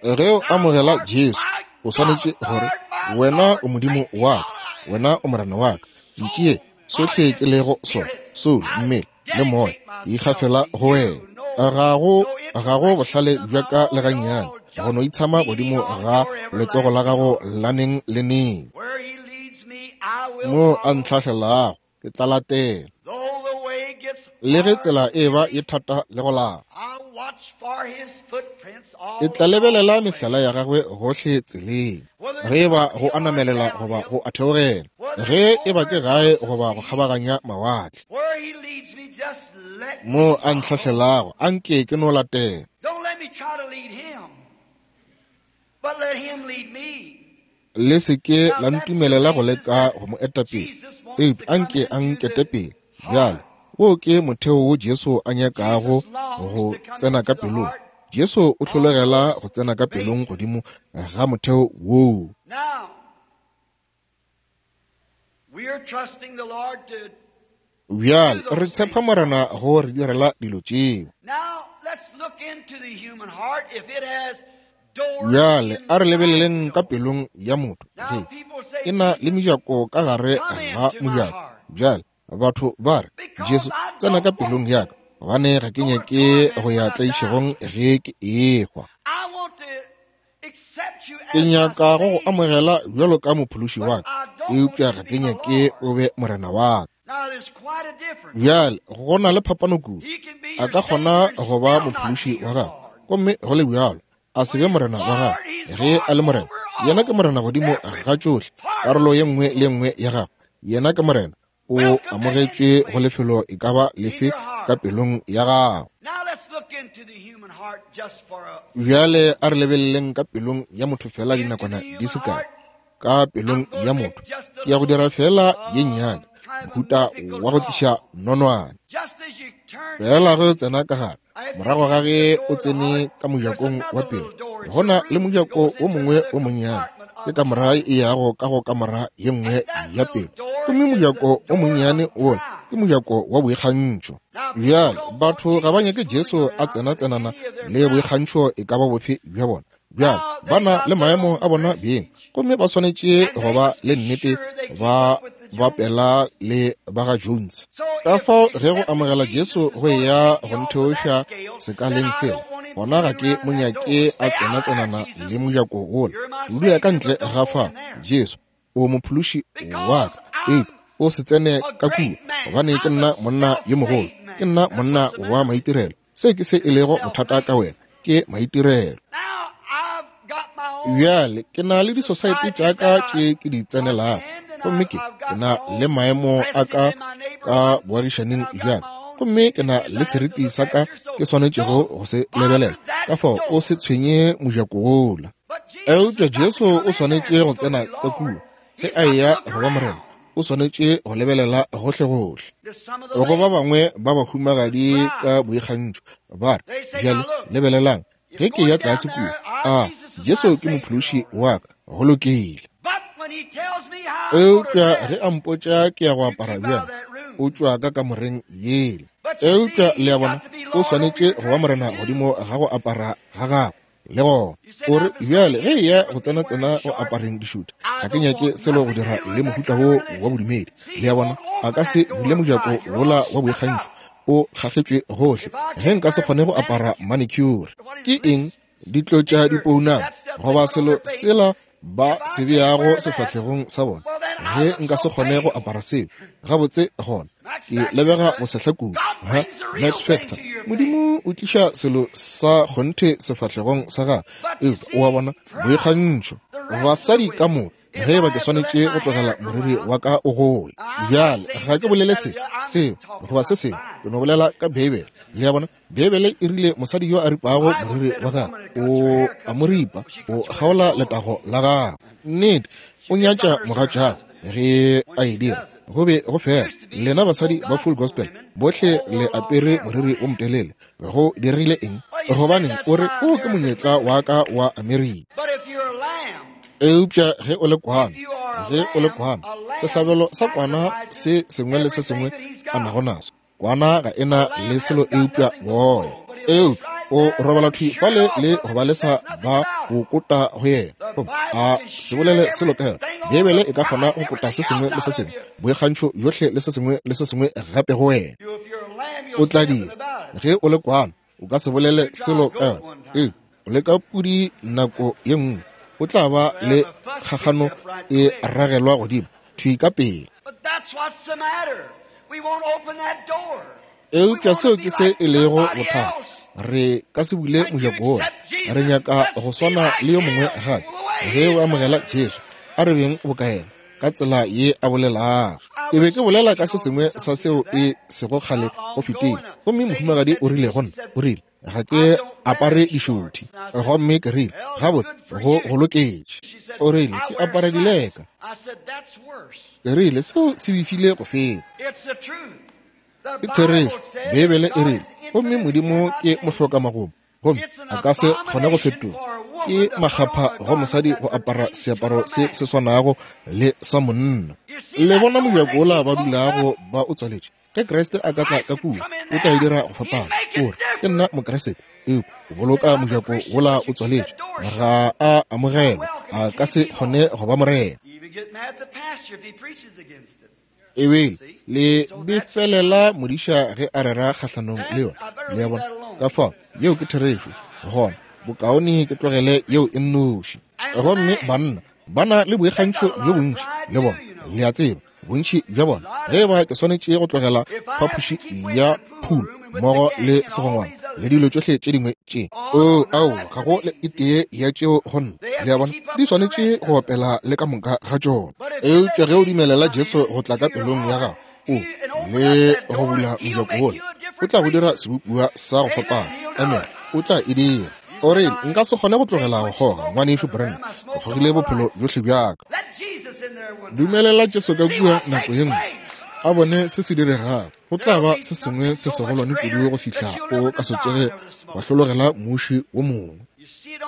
Ge o amogela Jesu, o swanetše gore, Wena o Modimo wa ka, wena o Morena wa ka, ntšee sohle ke lego sona, soulo, mmele le moya, ke ikgafela go wena. Ga go bohlale bja ka le gannyane go no itshama godimo ga letsogo la gago la neng le neng. Mo a ntlhahlelago, ke tla latela. Le ge tsela e ba ye thata le go lapa, ke tla lebelela mehlala ya gagwe gohle tseleng, ge e ba go a namelela goba go a theogela, ge e ba ke gae goba go kgabaganya mawatle. Mo a ntlhahlelago, a nke ke no latela. Le se ke la ntumelela go leka go mo eta pele, eupša a nke a nkete pele. Bjale, wo ke motheo wo Jesu a nyakago go tsena ka pelong. Jesu o hlologela go tsena ka pelong godimo ga motheo woo. Bjale re tshepa Morena go re direla dilo tšeo. Bjale a re lebeleleng ka pelong ya motho ge e na le mejako ka gare ga mojako. Bjale batho ba re, Jesu, tsena ka pelong ya ka, gobane ga ke nyake go ya tlaišegong ge ke ehwa. Ke nyaka go go amogela bjalo ka mophološi wa ka, eupša ga ke nyake o be morena wa ka. Bjale go na le phapano kudu. A ka kgona go ba mophološi wa gago, gomme go le bjalo a se be morena wa gagwe. Ge a le morena, yena ke morena godimo ga tšohle, karolo ye nngwe le nngwe ya gagwe. Yena ke morena, o amogetšwe go lefelo e ka ba lefe ka pelong ya gago. Bjale a re lebeleleng ka pelong ya motho fela dinakwana di se kae. Ka pelong ya motho ya go dira fela ye nnyane, mohuta wa go tliša nonwane. Fela ge o tsena ka gare, morago ga ge o tsene ka mojakong wa pelo, go na le mojako wo mongwe wo monnyane, ke kamora e yago ka go kamora ye nngwe ya pelo, gomme mojako wo monnyane wola ke mojako wa boikgantšho. Bjale batho ga ba nyake Jesu a tsena-tsenana le boikgantšho e ka ba bofe bja bona. Bjale ba na le maemo a bona beng, gomme ba swanetše go ba le nnete ba bapela le ba ga Jones. Ka fao ge go amogela Jesu go eya go ntheoša sekaleng sela, gona ga ke mo nyake a tsena-tsenana le mojako wola. O dula ka ntle ga fa, Jesu, o mophološi wa ka, eupša o se tsene ka kua, gobane ke nna monna yo mogolo, ke nna monna wa maitirelo. Se ke se e lego bothata ka wena, ke maitirelo. Bjale ke na le disosaete tša ka tše ke di tsenelago, gomme ke na le maemo a ka ka boagišaning bjaka, gomme ke na le seriti sa ka ke swanetšego go se lebelela. Ka fao o se tshwenye mojako wola. Eupša Jesu o swanetše go tsena ka kua ge a eya go ba morena. O swanetše go lebelela gohlegohle. Go ba bangwe ba bahumagadi ka boikgantšho ba re, bjale lebelelang, ge ke ya tlase kua, a Jesu ke mophološi wa ka, go lokile. Eupša ge a mpotša ke ya go apara bjang, o tšwa ka kamoreng yela. Eupša le a bona, o swanetše go ba morena godimo ga go apara ga gagwe. Le gona o re, bjale ge eya go tsena-tsena go apareng dišuta, ga ke nyake selo go dira le mohuta wo wa bodumedi. Le a bona, a ka se bule mojako wola wa boikgantšho, o kgahletšwe gohle. Ge nka se kgone go apara manicure, ke eng ditlotša dipounama goba selo sela ba se beago sefahlegong sa bona, ge nka se kgone go apara seo gabotse, gona ke lebega go sehla kudu. Ha Max Factor, Modimo o tliša selo sa kgonthe sefahlegong sa gagwe, eupša o a bona boikgantšho. Basadi ka moka, ge eba ke swanetše go tlogela moriri wa ka o gole. Bjale ga ke bolele se, seo, goba se sengwe, ke no bolela ka Beibele. Le a bona? Beibele e rile mosadi yo a ripago moriri wa gagwe o a mo ripa, o kgaola letago la gagwe. Nnete, o nyatša mogatšagwe ge a e dira. Go be go fela. Lena basadi ba Full Gospel bohle le apere moriri o motelele. Go dirile eng? Gobaneng o re o ke monyetla wa ka wa Amerika. Eupša ge o le kwana, ge o le kwana, sehlabelo sa kwana se sengwe le se sengwe a nago naso, kwana ga e na le selo eupša boya. Eupša o robala thwi fale le go ba lesa ba go kota go yena, gomme a se bolele selo ka yona. Beibele e ka kgona go kota se sengwe le se sengwe, boikgantšho bjohle le se sengwe le se sengwe gape go wena. O tla dira. Ge o le kwana, o ka se bolele selo ka yona. Eupša o leka pudi nako ye nngwe, o tla ba le kgakgano e ragelwa godimo thwi ka pele. Eupša seo ke se e lego bothata. Re ka se bule mojako wola. Re nyaka go swana le yo mongwe gape. Ge o amogela Jesu, a re beng boka yena, ka tsela ye a bolelago. Ke be ke bolela ka se sengwe sa seo e sego kgale go fetile, gomme mohumagadi o rile go nna, o rile, ga ke apare dišothi. Gomme ke rile, gabotse, go go loketše. O rile, ke apara dileka. Ke rile, seo se befile go feta. Ke therešo. Beibele e rile, gomme Modimo ke mohlokamagomo, gomme a ka se kgone go fetoga. Ke makgapha go mosadi go apara seaparo se se swanago le sa monna. Le bona mojako wola ba dulago ba o tswaletše? Ge Kriste a ka tla ka kua, o tla e dira go fapana. O re, ke nna Mokriste, eupša o boloka mojako wola o tswaletše. Ga a amogelwa, a ka se kgone go ba morena. Ebile le befelela modiša ge a rera kgahlanong le yona. Le a bona? Ka fao, yeo ke therešo. Gona, bokaone ke tlogele yeo e nnoši. Gomme banna ba na le boikgantšho bjo bontši le bona, le a tseba, bontši bja bona. Ge eba ke swanetše go tlogela phapoši ya phulo mmogo le segongwana le dilo tšohle tše dingwe tše. Oo, aowa, ga go le e tee ya tšeo go nna. Le a bona, di swanetše go bapela le ka moka ga tšona. Eupša ge o dumelela Jesu go tla ka pelong ya gago, o le go bula mojako wola, o tla go dira sebopiwa sa go fapana. Amen. O tla e dira. O re, nka se kgone go tlogela go kgoga, Ngwanešu Branham. Ke kgogile bophelo bjohle bja ka. Dumelela Jesu ka kua nako ye nngwe, a bone se se diregago. Go tla ba se sengwe se segolwane kudu go fihla o ka se tsoge wa hlologela muši wo mongwe.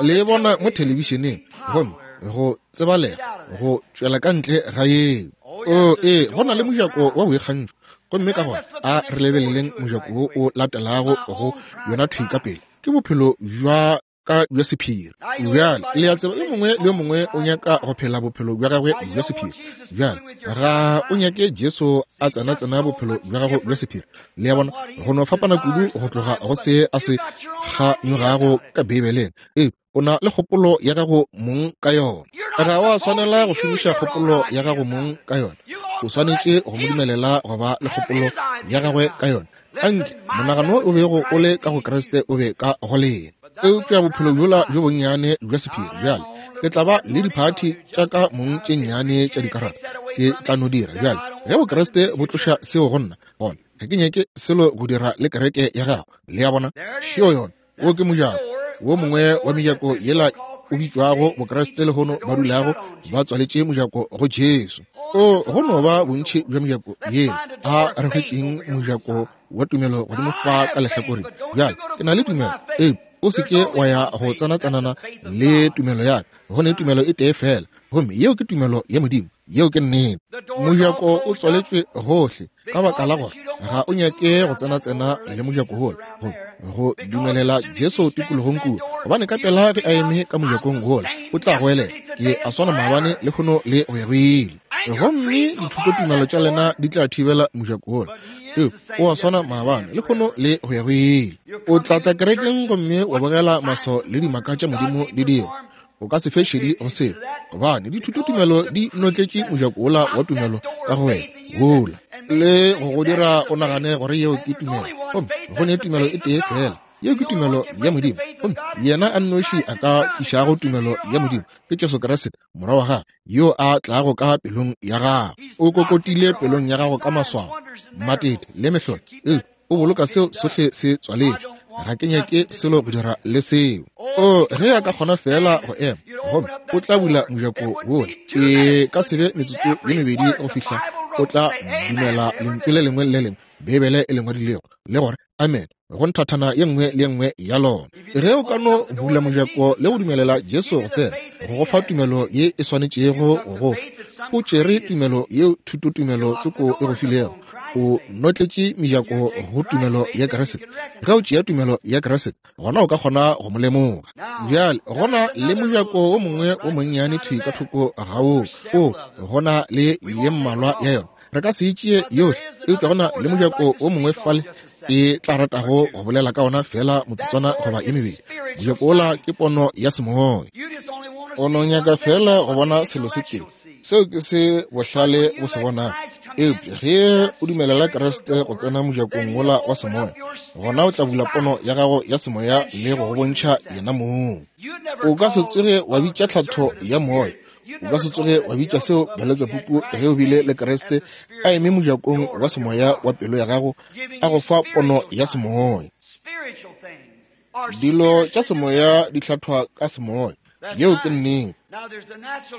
Le e bona mo thelebišeneng, gomme go tsebalega go tšwela ka ntle ga yeo. O, ee, go na le mojako wa boikgantšho. Gomme ka gona a re lebeleleng mojako wo o latelago go yona thwi ka pele. Ke bophelo bja ka bja sephiri. Bjale, le a tseba, yo mongwe le yo mongwe o nyaka go phela bophelo bja gagwe bja sephiri. Bjale, ga o nyake Jesu a tsena-tsena bophelo bja gago bja sephiri. Le a bona, go no fapana kudu go tloga go se a se kganyogago ka Beibeleng. Ee, o na le kgopolo ya gago mong ka yona. Ga wa swanela go šomiša kgopolo ya gago mong ka yona. O swanetše go mo dumelela go ba le kgopolo ya gagwe ka yona. Anke monagano o bego o le ka go Kriste o be ka go lena. Eupša bophelo bjola bjo bonnyane bja sephiri, bjale ke tla ba le diphathi tša ka mong tše nnyane tša dikarata, ke tla no dira. Bjale ge Bokriste bo tloša seo go nna, gona ga ke nyake selo go dira le kereke ya gago. Le a bona? Šeo yona. Wo ke mojako wo mongwe wa mejako yela o bitšwago Bokriste lehono ba dulago ba tswaletše mojako go Jesu. O, go no ba bontši bja mejako yela. A re hwetšeng mojako wa tumelo godimo fa ka lehlakoreng. Bjale, ke na le tumelo. Ee, o se ke wa ya go tsena-tsenana le tumelo ya ka. Go ne tumelo e tee feela, gomme yeo ke tumelo ya Modimo. Yeo ke nnete. Mojako o tswaletšwe gohle ka baka la gore ga o nyake go tsena-tsena le mojako wola, go, go dumelela Jesu tikologong kua, gobane ka pela ge a eme ka mojakong wola o tla goelela, Ke a swana maabane, lehono le go ya go ile. Gomme dithutotumelo tša lena di tla thibela mojako wola. Ee, o a swana maabane, lehono le go ya go ile. O tla tla kerekeng gomme wa bogela maswao le dimaka tša Modimo di dirwa. O ka se fe šedi go seo, gobane dithutotumelo di notletše mojako wola wa tumelo ka go wena wola, le go go dira o nagane gore yeo ke tumelo. Gomme go ne tumelo e tee feela, yeo ke tumelo ya Modimo. Gomme yena a nnoši a ka tlišago tumelo ya Modimo ke Jesu Kriste, Morwa wa gagwe, yo a tlago ka pelong ya gago. O kokotile pelong ya gago ka maswao, matete le mehlolo. Ee, o boloka seo sohle se tswaletšwe. Ga ke nyake selo go dira le seo. O, ge a ka kgona feela go ema, gomme o tla bula mojako wola, e ka se be metsotso ye mebedi go fihla o tla dumela lentšu le lengwe le lengwe Beibele e le ngwadilego, le gore amen go nthathana ye nngwe le ye nngwe ya lona. Ge o ka no bula mojako le go dumelela Jesu go tsena, go go fa tumelo ye e swanetšego go go fa. O tšere tumelo yeo thutotumelo tsoko e go filego, o notletše mejako go tumelo ya Kriste. Ge o tšea tumelo ya Kriste, gona o ka kgona go mo lemoga. Bjale go na le mojako wo mongwe wo monnyane thwi ka thoko ga woo, o go na le ye mmalwa ya yona. Re ka se e tšee yohle, eupša go na le mojako wo mongwe fale ke tla ratago go bolela ka ona feela motsotswana goba ye mebedi. Mojako wola ke pono ya semoya. O no nyaka feela go bona selo se tee, seo ke se bohlale bo se bonago. Eupša ge o dumelela Kriste go tsena mojakong wola wa semoya, gona o tla bula pono ya gago ya semoya le go go bontšha yena mong. O ka se tsoge wa bitša tlhatho ya moya, o ka se tsoge wa bitša seo Beletsebubu ge o bile le Kriste a eme mojakong wa semoya wa pelo ya gago a go fa pono ya semoya. Dilo tša semoya di hlathwa ka semoya. Yeo ke nnete.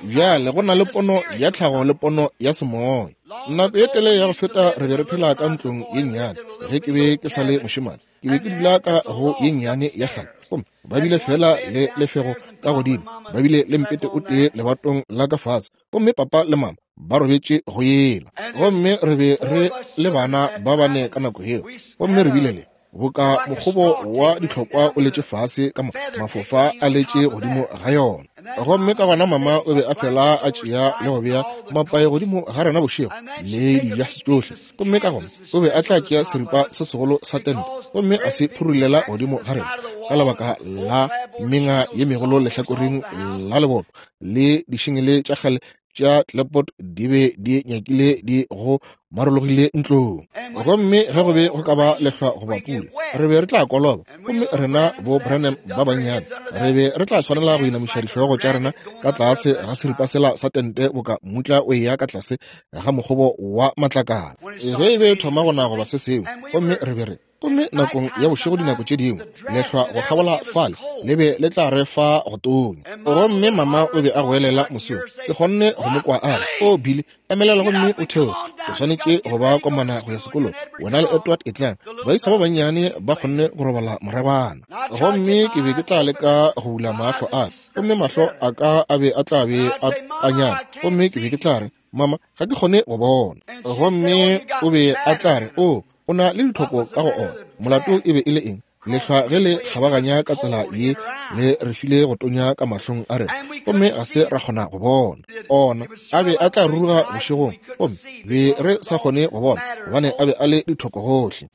Bjale go na le pono ya tlhago le pono ya semoya. Nako ye telele ya go feta re be re phela ka ntlong ye nnyane ge ke be ke sa le mošemane. Ke be ke dula ka go ye nnyane ya kgale, gomme ba bile fela le lefego ka godimo, ba bile le mpete o tee lebatong la ka fase, gomme papa le mama ba robetše go yela. Gomme re be re le bana ba bane ka nako yeo, gomme re bile le boka mokgobo wa dihlokwa o letše fase ka mafofa a letše godimo ga yona. Gomme ka gona mama o be a fela a tšea le go bea mapae godimo ga rena bošego le dibja tšohle. Gomme ka gona o be a tla tšea seripa se segolo sa tente gomme a se phurulela godimo ga rena ka lebaka la menga ye megolo lehlakoreng la leboto le dišengele tša kgale tša clapboard di be di nyakile di go marologile ntlong. Gomme ge go be go ka ba lehlwa goba pula, re be re tla koloba, gomme rena bo Branham ba bannyane re be re tla swanela go inamiša dihlogo tša rena ka tlase ga seripa sela sa tente boka mmutla o eya ka tlase ga mokgobo wa matlakala ge e be e thoma go na goba se sengwe. Gomme re be re gomme nakong ya bošego dinako tše dingwe lehlwa go kgabola fale le be le tla re fa go tonya. Gomme mama o be a goelela mosong, ke kgonne go mo kwa a re, O Billy, emelela gomme o theoge, o swanetše go ba komana go ya sekolong, wena le Edward etlang. Baisa ba bannyane ba kgonne go robala moragwana. Gomme ke be ke tla leka go bula mahlo a ka, gomme mahlo a ka a be a tla be a tanyana, gomme ke be ke tla re, Mama, ga ke kgone go bona. Gomme o be a tla re, O, o na le ditlhoko ka go ona. Molato e be e le eng? Lehlwa ge le kgabaganya ka tsela ye le re file go tonya ka mahlong a rena, gomme ga se ra kgona go bona. Ona a be a tla ruruga bošegong, gomme be re sa kgone go bona, gobane a be a le dithoko gohle.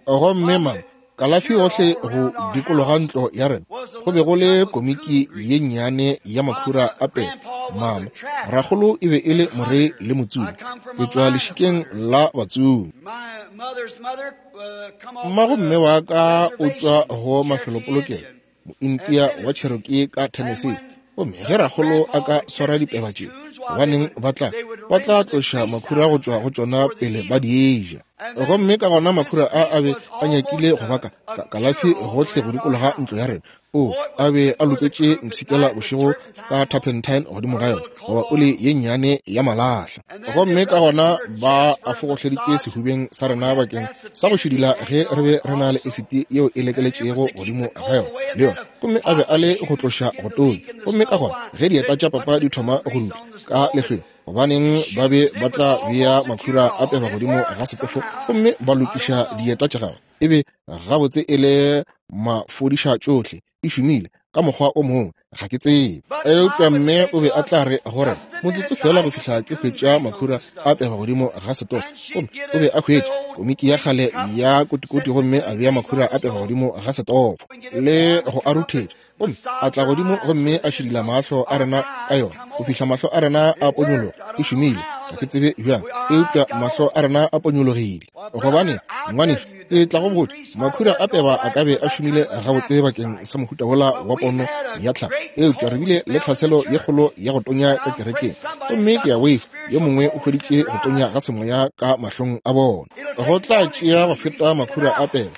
Gomme mama, kalafi gohle go dikologa ntlo ya rena go be go le komiki ye nnyane ya makhura a pele. Mama, rakgolo e be e le morei le motsomi, ke tšwa lešikeng la batsomi. Mmago mme wa ka o tšwa go mafelopolokelo, Mointia wa Cherokee ka Tennessee. Gomme ge rakgolo a ka swara dipeba tše, gobaneng ba tla, ba tla tloša makhura go tšwa go tšona pele ba di ja. Gomme ka gona makhura a a be a nyakile go baka kalafi gohle go dikologa ntlo ya rena. O a be a loketše mpshikela bošego ka turpentine godimo ga yona, goba oli ye nnyane ya malahla. Gomme ka gona ba a fogohleditše sehubeng sa rena bakeng sa go šidila ge re be re na le esiti yeo e lekeletšego godimo ga yona le yona. Gomme a be a le go tloša go tonya. Gomme ka gona ge dieta tša papa di thoma go dutla ka lehlweng, gobaneng ba be ba tla bea makhura a peba godimo ga setofo gomme ba lokiša dieta tša gagwe. E be gabotse e le mafodiša tšohle, e šomile ka mokgwa o mongwe, ga ke tsebe. Eupša mme o be a tla re gore motsotso fela go fihla ke hwetša makhura a pega godimo ga setofo. Gomme o be a hwetša komiki ya kgale ya kotikoti gomme a bea makhura a pega godimo ga setofo le go a ruthetša, gomme a tla godimo gomme a šidila mahlo a rena ka yona go fihla mahlo a rena a ponyologa. E šomile, ga ke tsebe bjang, eupša mahlo a rena a ponyologile. Gobane, ngwanešu, ke tla go botša, makhura a peba a ka be a šomile gabotse bakeng sa mohuta wola wa pono ya tlhago, eupša re bile le tlhaselo ye kgolo ya go tonya ka kerekeng, gomme ke a boifa yo mongwe o hweditše go tonya ga semoya ka mahlong a bona. Go tla tšea go feta makhura a peba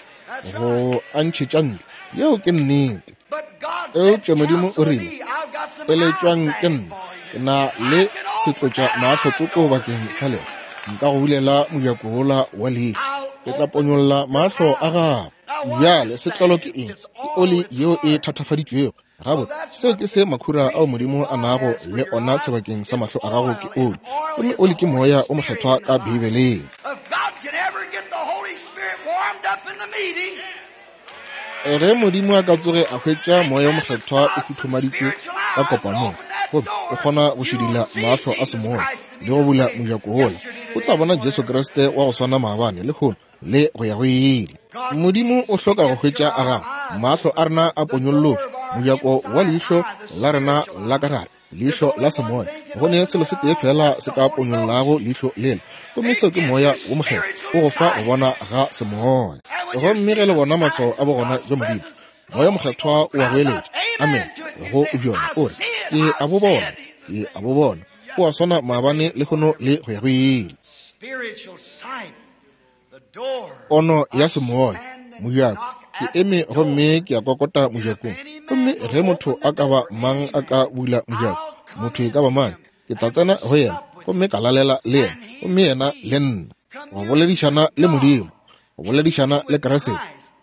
go a ntšhetša ntle. Yeo ke nnete. Eupša Modimo o rile, Eletšwang ke nna, ke na le setlotša mahlo tsoko bakeng sa lena. Nka go bulela mojako wola wa leihlo, ke tla ponyolla mahlo a gago. Bjale setlolo ke eng? Ke oli yeo e thatafaditšwego. Gabotse, seo ke se makhura ao Modimo a nago le ona sebakeng sa mahlo a gago ke oli. Gomme oli ke Moya o Mokgethwa ka Beibeleng. Ge Modimo a ka tsoge a hwetša Moya o Mokgethwa o huthumaditšwe ka kopanong, gomme o kgona go šidila mahlo a semoya le go bula mojako wola, o tla bona Jesu Kriste wa go swana maabane, lehono, le go ya go ile. Modimo o hloka go hwetša a gago mahlo a rena a ponyollotšwe, mojako wa leihlo la rena la ka gare, leihlo la semoya. Go ne selo se tee fela se ka ponyollago leihlo lela, gomme seo ke Moya wo Mokgethwa o go fa go bona ga semoya. Gomme ge le bona maswao a bogona bja Modimo, Moya Mokgethwa o a goeletša, amen, go bjona, o re, Ke a bo bona, ke a bo bona. O a swana maabane, lehono, le go ya go ile. Pono ya semoya, mojako. Ke eme gomme ke a kokota mojakong, gomme ge motho a ka ba mang a ka bula mojako, motho e ka ba mang, ke tla tsena go yena gomme ka lalela le yena, gomme yena le nna. Go boledišana le Modimo, go boledišana le Kriste,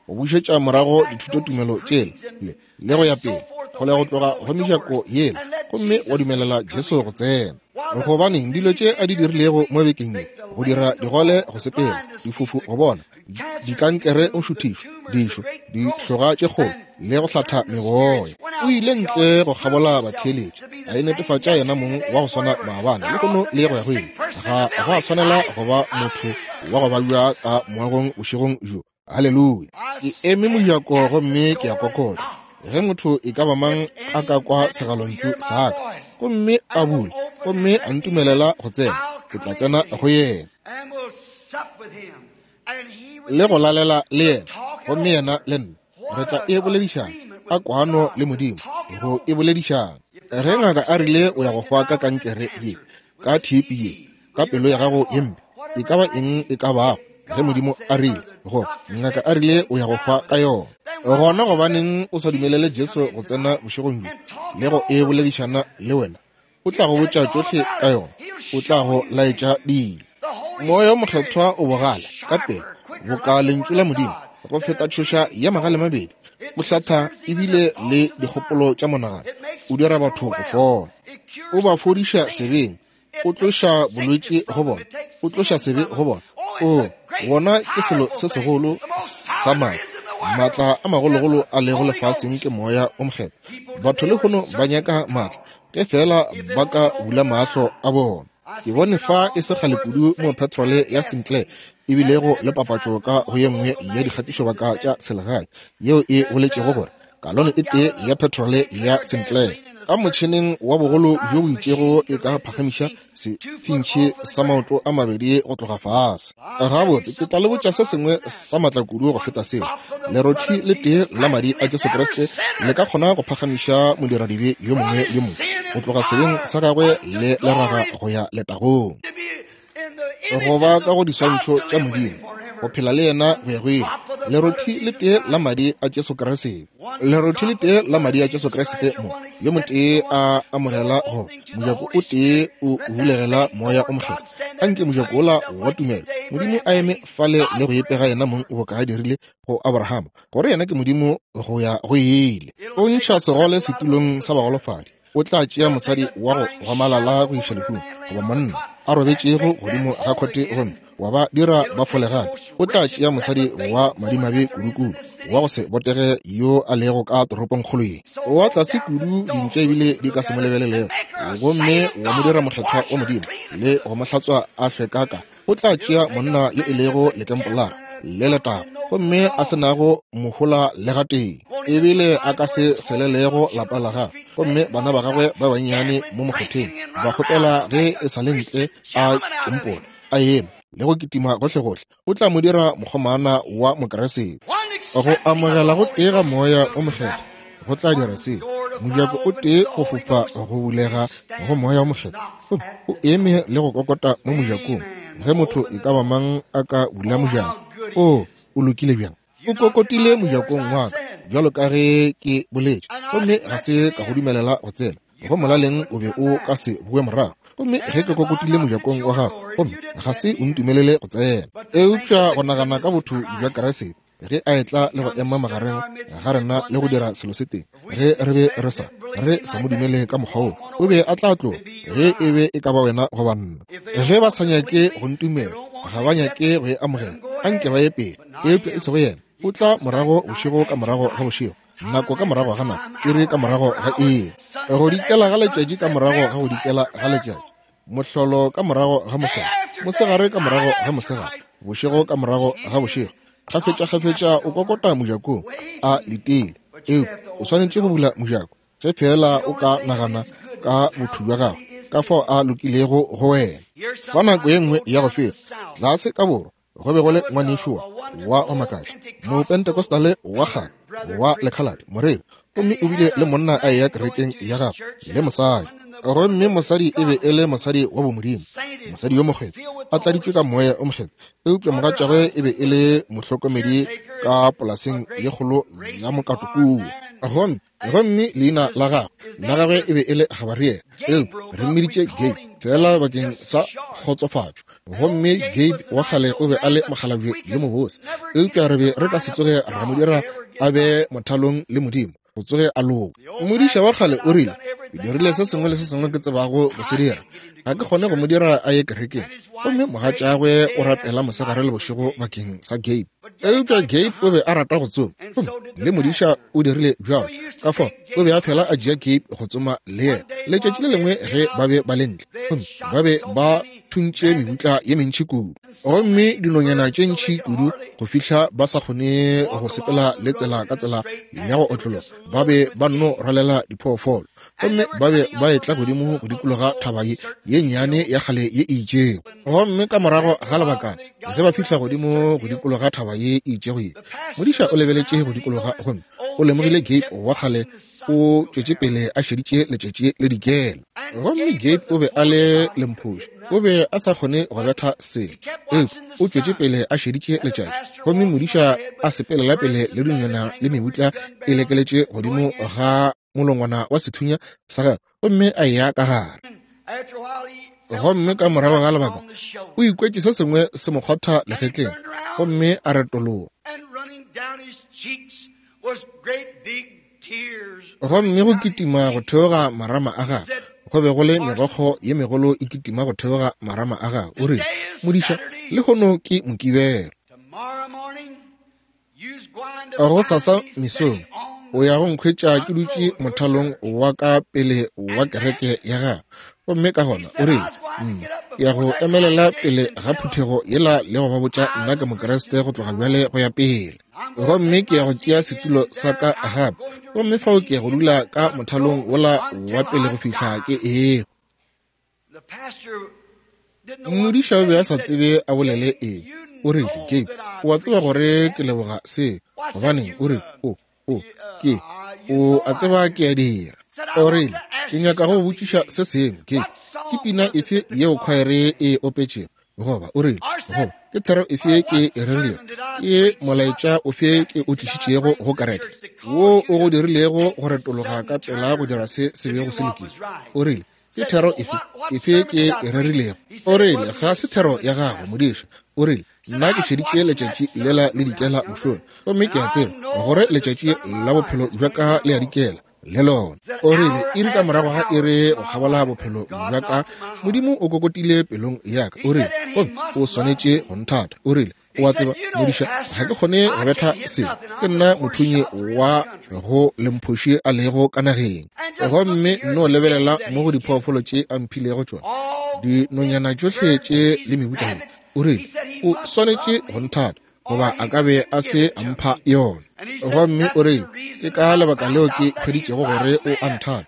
go bušetša morago dithutotumelo tšela le, le go ya pele, kgole go tloga go mejako yela, gomme wa dumelela Jesu go tsena. Gobaneng, dilo tše a di dirilego mo bekeng ye, go dira digole go sepela, difofu go bona, dikankere go šuthišwa, dišo, dihloga tše kgolo, le go hlatha meboya. O ile ntle go kgabola batheeletši, a inetefatša yena mong wa go swana maabane, lehono, le go ya go ile. Ga go a swanela go ba motho wa go babja ka moagong bošegong bjo. Haleluya! Ke eme mojako gomme ke a kokota. Ge motho e ka ba mang a ka kwa segalontšu sa ka gomme a bula gomme a ntumelela go tsena, ke tla tsena go yena. Le go lalela le yena, gomme yena le nna re tla e boledišana ka kwano le Modimo, go e boledišana. Ge ngaka a rile o ya go hwa ka kankere ye, ka TB ye, ka pelo ya gago ye mpe, e ka ba eng e ka bago, ge Modimo a rile go ngaka a rile o ya go hwa ka yona, gona gobaneng o sa dumelele Jesu go tsena bošegong bjo le go e boledišana le wena? O tla go botša tšohle ka yona, o tla go laetša dilo. Moya o Mokgethwa o bogale ka pela boka lentšu la Modimo go feta tšhoša ya magale mabedi, o hlatha ebile le dikgopolo tša monagano, o dira batho go fola, o ba fodiša sebeng, o tloša bolwetši go bona, o tloša sebe go bona. O wona ke selo se segolo sa maatla, maatla a magologolo a lego lefaseng ke Moya o Mokgethwa. Batho lehono ba nyaka maatla ge feela ba ka bula mahlo a bona. Ke bone fa e se kgale kudu mo petrole ya Sinclair e bilego le papatšo ka go ye nngwe ya dikgatišobaka tša selegae yeo e boletšego gore kalone e tee ya petrole ya Sinclair ka motšheneng wa bogolo bjo bo itšego e ka phagamiša sefintšhi sa maoto a mabedi go tloga fase. Gabotse, ke tla le botša se sengwe sa matla kudu go feta seo. Lerothi le tee la madi a Jesu Kriste le ka kgona go phagamiša modiradibe yo mongwe le mongwe go tloga sebeng sa gagwe le leraga go ya letagong, go ba ka go diswantšho tša Modimo, go phela le yena go ya go ile. Lerothi le tee la madi a Jesu Kriste, lerothi le tee la madi a Jesu Kriste, mo yo motee a amogela go mojako o tee o bulegela Moya o Mokgethwa. Anke mojako wola wa tumelo, Modimo a eme fale le go ipega yena mong boka a dirile go Abrahama, gore yena ke Modimo go ya go ile. O ntšha segole setulong sa bagolofadi, o tla tšea mosadi wa go gomalala go iša lehung, goba monna a robetšego godimo ga khote gomme wa ba dira ba fole gape. O tla tšea mosadi wa madimabe kudukudu wa go se botege yo a lego ka toropongkgolo ye wa tlase kudu, dintša ebile di ka se mo lebelelego, gomme wa mo dira mokgethwa wa Modimo le go mo hlatswa a hlwekaka. O tla tšea monna yo e lego lekempolara le letago gomme a se nago mohola le gatee, ebile a ka se selelego lapa la gagwe, gomme bana ba gagwe ba bannyane mo mokgotheng ba kgopela ge e sa le ntle a kempola a eme le go kitima gohlegohle. O tla mo dira mokgomana wa Mokeresete. Go amogela go tee ga Moya o Mokgethwa go tla dira seo. Mojako o tee go fofa go bulega go Moya o Mokgethwa, gomme o eme le go kokota mo mojakong. Ge motho e ka ba mang a ka bula mojako, o o lokile bjang? O kokotile mojakong wa ka, bjalo ka ge ke boletše, gomme ga se ka go dumelela go tsena. Go molaleng o be o ka se boe morago. Gomme ge ke kokotile mojakong wa gago, gomme ga se o ntumelele go tsena. Eupša go nagana ka botho bja Kriste ge a etla le go ema magareng ga rena le go dira selo se tee, ge re be re sa re sa mo dumele ka mokgwa wo, o be a tla tloga ge e be e ka ba wena goba nna. Ge ba sa nyake go ntumela, ga ba nyake go e amogela, anke ba ye pele, eupša e sego yena. O tla morago bošego ka morago ga bošego, nako ka morago ga nako, iri ka morago ga iri, go dikela ga letšatši ka morago ga go dikela ga letšatši, mohlolo ka morago ga mohlolo, mosegare ka morago ga mosegare, bošego ka morago ga bošego. Kgafetša-kgafetša o kokota mojakong a letile, eupša o swanetše go bula mojako ge feela o ka nagana ka botho bja gagwe, ka fao a lokilego go wena. Fa nako ye nngwe ya go feta, tlase ka borwa, go be go le ngwanešu wa go makatša, Mopentecostale wa kgale wa lekhaladi, moreri, gomme o bile le monna a eya kerekeng ya gagwe le mosadi. Gomme mosadi e be e le mosadi wa bomodimo, mosadi yo mokgethwa, a tladitšwe ka Moya o Mokgethwa. Eupša mogatšagwe e be e le mohlokomedi ka polaseng ye kgolo ya mokato kua. Gomme gomme leina la gagwe la gagwe e be e le Gabariele, eupša re mmiditše Gabe feela bakeng sa kgotsofatšo. Gomme Gabe wa kgale o be a le mokgalabje yo mobose, eupša re be re ka se tsoge ra mo dira a be mothalong le Modimo, go tsoge a loka. Modiša wa kgale o rile, Ke dirile se sengwe le se sengwe ke tsebago go se dira, ga ke kgone go mo dira a ye kerekeng. Gomme mogatšagwe o rapela mosegare le bošego bakeng sa Gabe. Eupša Gabe o be a rata go tsoma, gomme le modiša o dirile bjalo. Ka fao o be a fela a tšea Gabe go tsoma le yena. Letšatši le lengwe ge ba be ba le ntle, gomme ba be ba thuntše mebutla ye mentši kudu, gomme dinonyana tše ntši kudu go fihla ba sa kgone go sepela le tsela ka tsela ya go otlologa, ba be ba nno rwalela diphoofolo. Gomme ba be ba etla godimo go dikologa thaba ye ye nnyane ya kgale ye e itšego. Gomme ka morago ga lebakana, ge ba fihla godimo go dikologa thaba ye e itšego ye, modiša o lebeletše go dikologa gomme o lemogile Gabe wa kgale o tšwetše pele a šeditše letšatši le dikela. Gomme Gabe o be a le lemphoši, o be a sa kgone go betha selo, eupša o tšwetše pele a šeditše letšatši. Gomme modiša a sepelela pele le dinonyana le mebutla e lekeletše godimo ga molongwana wa sethunya sa gagwe, gomme a eya ka gare. Gomme ka morago ga lebaka o ikwetše se sengwe se mo kgwatha legetleng, gomme a retologa. Gomme go kitima go theoga marama a gagwe go be go le megokgo ye megolo e kitima go theoga marama a gagwe. O rile, Modiša, lehono ke Mokibelo. Gosasa mesong o ya go nkhwetša ke dutše mothalong wa ka pele wa kereke ya gagwe. Gomme ka gona o rile, Nna ke ya go emelela pele ga phuthego yela le go ba botša nna ke Mokriste go tloga bjale go ya pele. Gomme ke ya go tšea setulo sa ka gape, gomme fao ke ya go dula ka mothalong wola wa pele go fihla ke ehwa. Modiša o be a sa tsebe a bolele eng. O rile, Gabe, o a tseba gore ke leboga se. Gobaneng, o rile, o, o, ke, o a tseba ke a dira. O rile, ke nyaka go botšiša se sengwe, Gabe. Ke pina efe yeo khwaere e opetšego? Goba, o rile, goba, ke thero efe ke e rerilego? Ke molaetša ofe ke o tlišitšego go kereke, wo o go dirilego go retologa ka pela go dira se se bego se lokile? O rile, Ke thero efe, efe ke e rerilego? O rile, Ga se thero ya gago, modiša. O rile, Nna ke šeditše letšatši lela le dikela mošola, gomme ke a tseba gore letšatši la bophelo bja ka le a dikela le lona. O rile, Iri ka morago ga iri go kgabola bophelo bja ka, Modimo o kokotile pelong ya ka. O rile, Gomme o swanetše go nthata. O rile, O a tseba, modiša, ga ke kgone go betha selo. Ke nna mothunyi wa go lemphoši a lego ka nageng. Gomme nno lebelela mo go diphoofolo tše a mphilego tšona, dinonyana tšohle tše le mebutla ye. O rile, O swanetše go nthata, goba a ka be a se a mpha yona. Gomme o rile, Ke ka lebaka leo ke hweditšego gore o a nthata.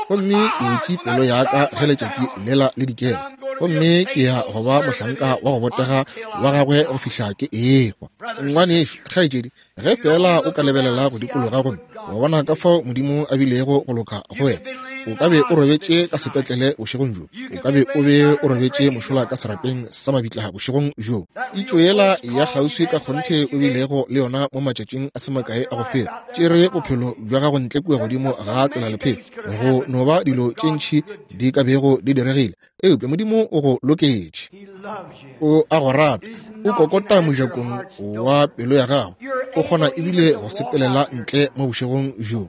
Gomme ke butše pelo ya ka ge letšatši lela le dikela, gomme ke ya go ba mohlanka wa go botega wa gagwe go fihla ke ehwa. Ngwanešu, kgaetšedi, ge feela o ka lebelela go dikologa gomme wa bona ka fao Modimo a bilego go loka go wena, o ka be o robetše ka sepetlele bošegong bjo, o ka be o be o robetše mošola ka serapeng sa mabitla bošegong bjo. Pitšo yela ya kgauswi ka kgonthe o bilego le yona mo matšatšing a se makae a go feta, tšere bophelo bja gago ntle kua godimo ga tselalephefo. Go no ba dilo tše ntši di ka bego di diregile, eupša Modimo o go loketše. O a go rata. O kokota mojakong wa pelo ya gago. O kgona ebile go sepelela ntle mo bošegong bjo.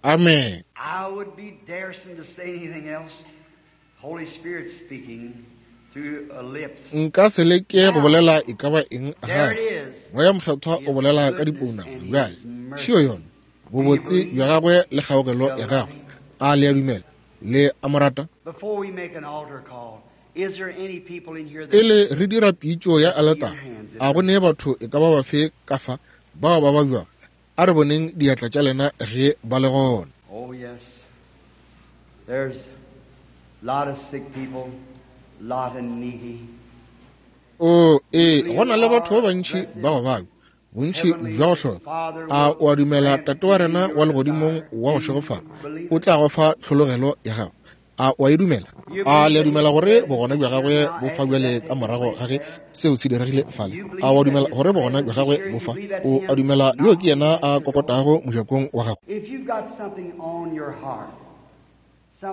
Amen. I would be daresome to say anything else. Holy Spirit speaking through lips. Nka se leke go bolela e ka ba eng gape. Moya Mokgethwa o bolela ka dipounama bjale. Šio yona, bobotse bja gagwe le kgaogelo ya gagwe. A le a dumela? Le a mo rata? Before we make an altar call, is there any people in here that Pele re dira pitšo ya aletara, a go ne batho e ka ba bafe ka fa bao ba babjago? A re boneng diatla tša lena ge ba le gona. Oh yes. There's a lot of sick people, lot of needy. O ee, go na le batho ba bantši ba go babja, bontši bja go hloka. A o a dumela Tate wa rena wa legodimong wa go šegofala o tla go fa tlhologelo ya gago? A o a e dumela? A le a dumela gore bogona bja gagwe bo fa bjale ka morago ga ge seo se diregile fale? A o a dumela gore bogona bja gagwe bo fa? O a dumela yo ke yena a kokotago mojakong wa gago?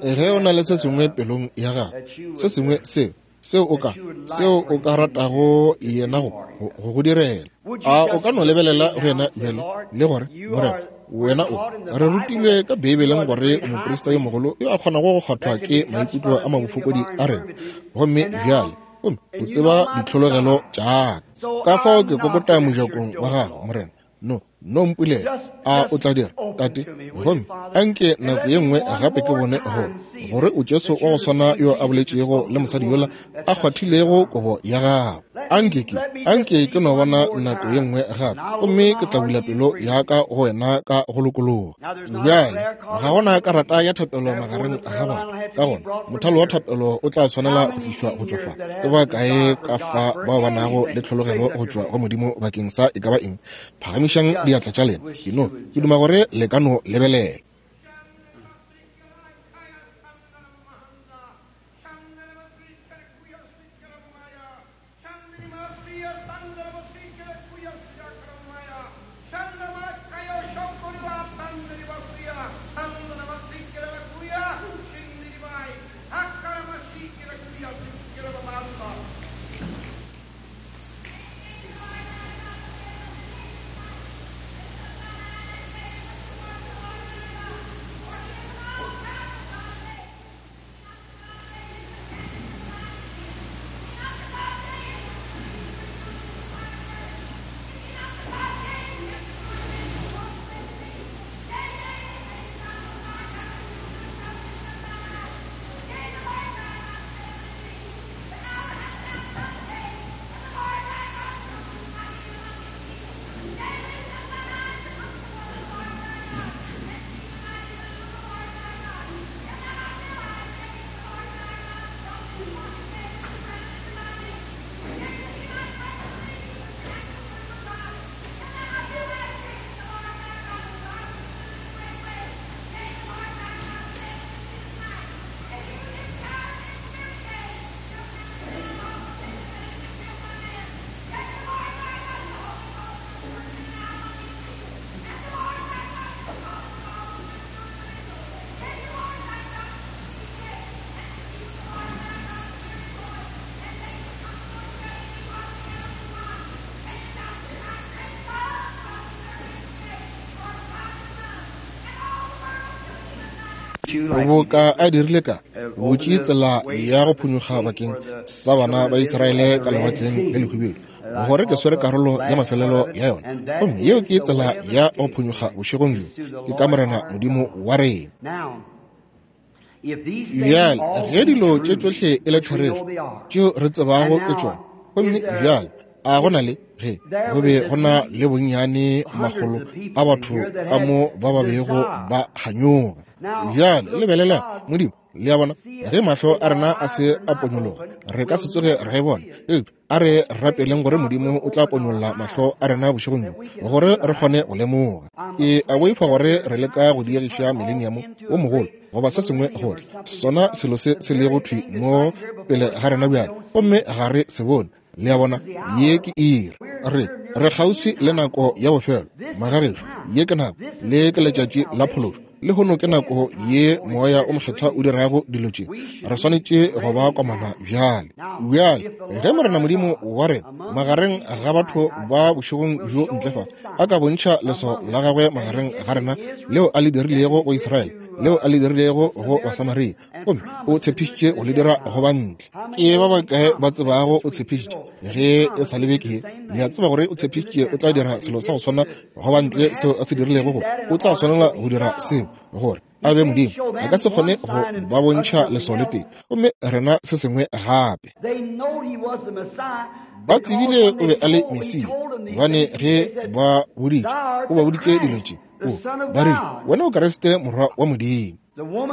Ge o na le se sengwe pelong ya gago, se sengwe seo, seo o ka, seo o ka ratago yena go, go go direla, a o ka no lebelela go yena bjale le gore, Morena, wena o re rutilwe ka Beibeleng gore o moprista yo mogolo yo a kgonago go kgwathwa ke maikutlo a mabofokodi a rena, gomme bjale gomme o tseba ditlhologelo tša ka. Ka fao ke kokota mojakong wa gago, Morena, no no mpulela. A o tla dira, Tate? Gomme a nke nako ye nngwe gape ke bone go gore o Jesu wa go swana yo a boletšego le mosadi yola a kgwathilego kobo ya gago. A nke ke, a nke ke no bona nako ye nngwe gape, gomme ke tla bula pelo ya ka go wena ka go lokologa. Bjale ga gona karata ya thapelo magareng ga batho, ka gona mothalo wa thapelo o tla swanela go tlišwa go tšwa fa. Ke ba kae ka fa bao ba nago le tlhologelo go tšwa go Modimo bakeng sa e ka ba eng? Phagamišang diatla tša lena. Ke no, ke duma gore le ka no lebelela. Boka a dirile ka butše tsela ya go phonyokga bakeng sa bana ba Israele ka Lewatleng le Lehubedu, gore ke swere karolo ya mafelelo ya yona, gomme yeo ke tsela ya go phonyokga bošegong bjo, ke ka Morena Modimo wa rena. Bjale ge dilo tše tšohle e le therešo tšeo re tsebago ke tšona, gomme bjale a go na le ge go be go na le bonnyane makgolo a batho ka mo ba ba bego ba kganyoga. Bjale lebelela Modimo, le a bona, ge mahlo a rena a se a ponyologa, re ka se tsoge ra e bona. Eupša a re rapeleng gore Modimo o tla ponyolla mahlo a rena bošegong bjo, gore re kgone go lemoga. Ke a boifa gore re leka go diegiša mileniamo wo mogolo goba se sengwe, gore sona selo se se lego thwi mo pele ga rena bjale, gomme ga re se bone. Le a bona, ye ke iri. Re, re kgauswi le nako ya bofelo, magagešo. Ye ke nako, le ke letšatši la phološo. Lehono ke nako ye Moya o Mokgethwa o dirago dilo tše. Re swanetše go ba komana bjale. Bjale, ge Morena Modimo wa rena, magareng ga batho ba bošegong bjo ntle fa, a ka bontšha leswao la gagwe magareng ga rena, leo a le dirilego go Israele, leo a le dirilego go Basamaria, gomme o tshepišitše go le dira go ba ntle. Ke ba bakae ba tsebago o tshepišitše ge e sa le beke ye? Le a tseba gore o tshepišitše o tla dira selo sa go swana go ba ntle seo a se dirilego go, o tla swanela go dira seo gore a be Modimo. A ka se kgone go ba bontšha leswao le tee, gomme rena se sengwe gape. Ba tsebile o be a le Mesia, gobane ge ba boditše, o ba boditše dilo tše, o ba rile, Wena o Kriste Morwa wa Modimo.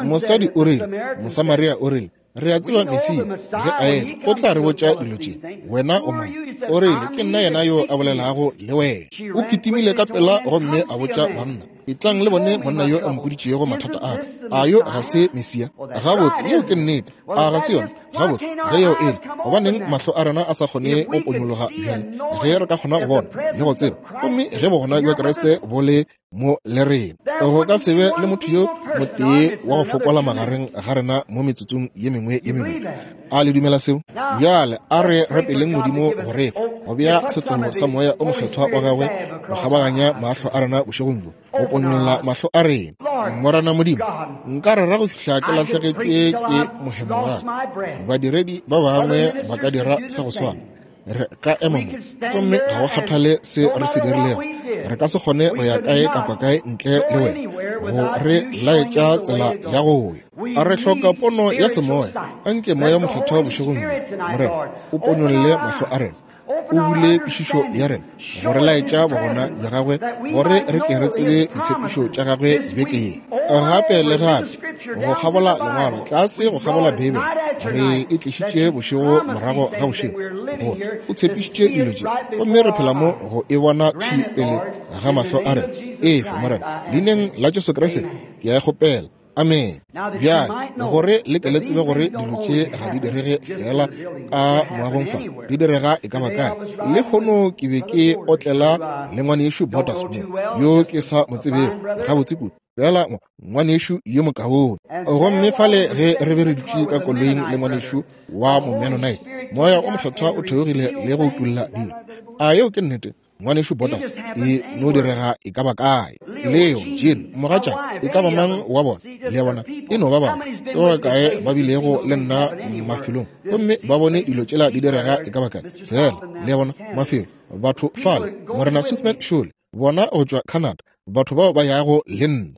Mosadi o rile, Mosamaria o rile, re a tseba Mesia ge a etla o tla re botša dilo tše. Wena o mang? O rile, ke nna yena yo a bolelago le wena. O kitimile ka pela gomme a botša banna. Etlang le bone monna yo a mpoditšego mathata a ka. A yo ga se Mesia? Gabotse, yeo ke nnete. A ga se yona? Gabotse, ge yeo e le, gobaneng mahlo a rena a sa kgone go ponyologa bjale, ge re ka kgona go bona le go tseba, gomme ge bogona bja Kriste bo le mo le rena, go ka se be le motho yo motee wa go fokola magareng ga rena mo metsotsong ye mengwe ye mebedi. A le dumela seo? Bjale a re rapeleng Modimo go re fa go bea setlolo sa Moya o Mokgethwa wa gagwe go kgabaganya mahlo a rena bošegong bjo, go ponyolla mahlo a rena. Morena Modimo, nka rera go fihla ke lahlegetšwe ke mohemo wa ka. Badiredi ba bangwe ba ka dira sa go swana. Re ka ema mo, gomme ga go kgathale se re se dirilego, re ka se kgone go ya kae kapa kae ntle le wena go re laetša tsela ya go ya. A re hloka pono ya semoya. Anke Moya Mokgethwa bošegong bjo, Morena, o ponyolle mahlo a rena, o bule kwešišo ya rena, go re laetša bogona bja gagwe, gore re ke re tsebe ditshepišo tša gagwe beke ye. Gape le gape, go kgabola Lengwalo, tlase go kgabola Beibele, re e tlišitše bošego morago ga bošego, gore o tshepišitše dilo tše, gomme re phela mo go e bona thwi pele ga mahlo a rena. Efe, Morena, Leineng la Jesu Kriste, ke a e kgopela. Amene. Bjale, gore le ke le tsebe gore dilo tše ga di direge feela ka moagong fa, di direga e ka ba kae. Lehono ke be ke otlela le ngwanešu Borders mo, yo ke sa mo tsebego gabotse kudu, feela ngwanešu yo mokaone. Gomme fale ge re be re dutše ka koloing le ngwanešu wa Momennonite, Moya o Mokgethwa o theogile le go utolla dilo. A yeo ke nnete? Ngwanešu Borders, e no direga e ka ba kae. Leo, Jean, mogatša, e ka ba mang wa bona, le a bona, e no ba batho. Ke ba bakae ba bilego le nna mafelong gomme ba bone dilo tšela di direga e ka ba kae? Feela, le a bona, mafelo, batho fale, Morena Switzman šole, bona go tšwa Canada, batho bao ba yago le nna.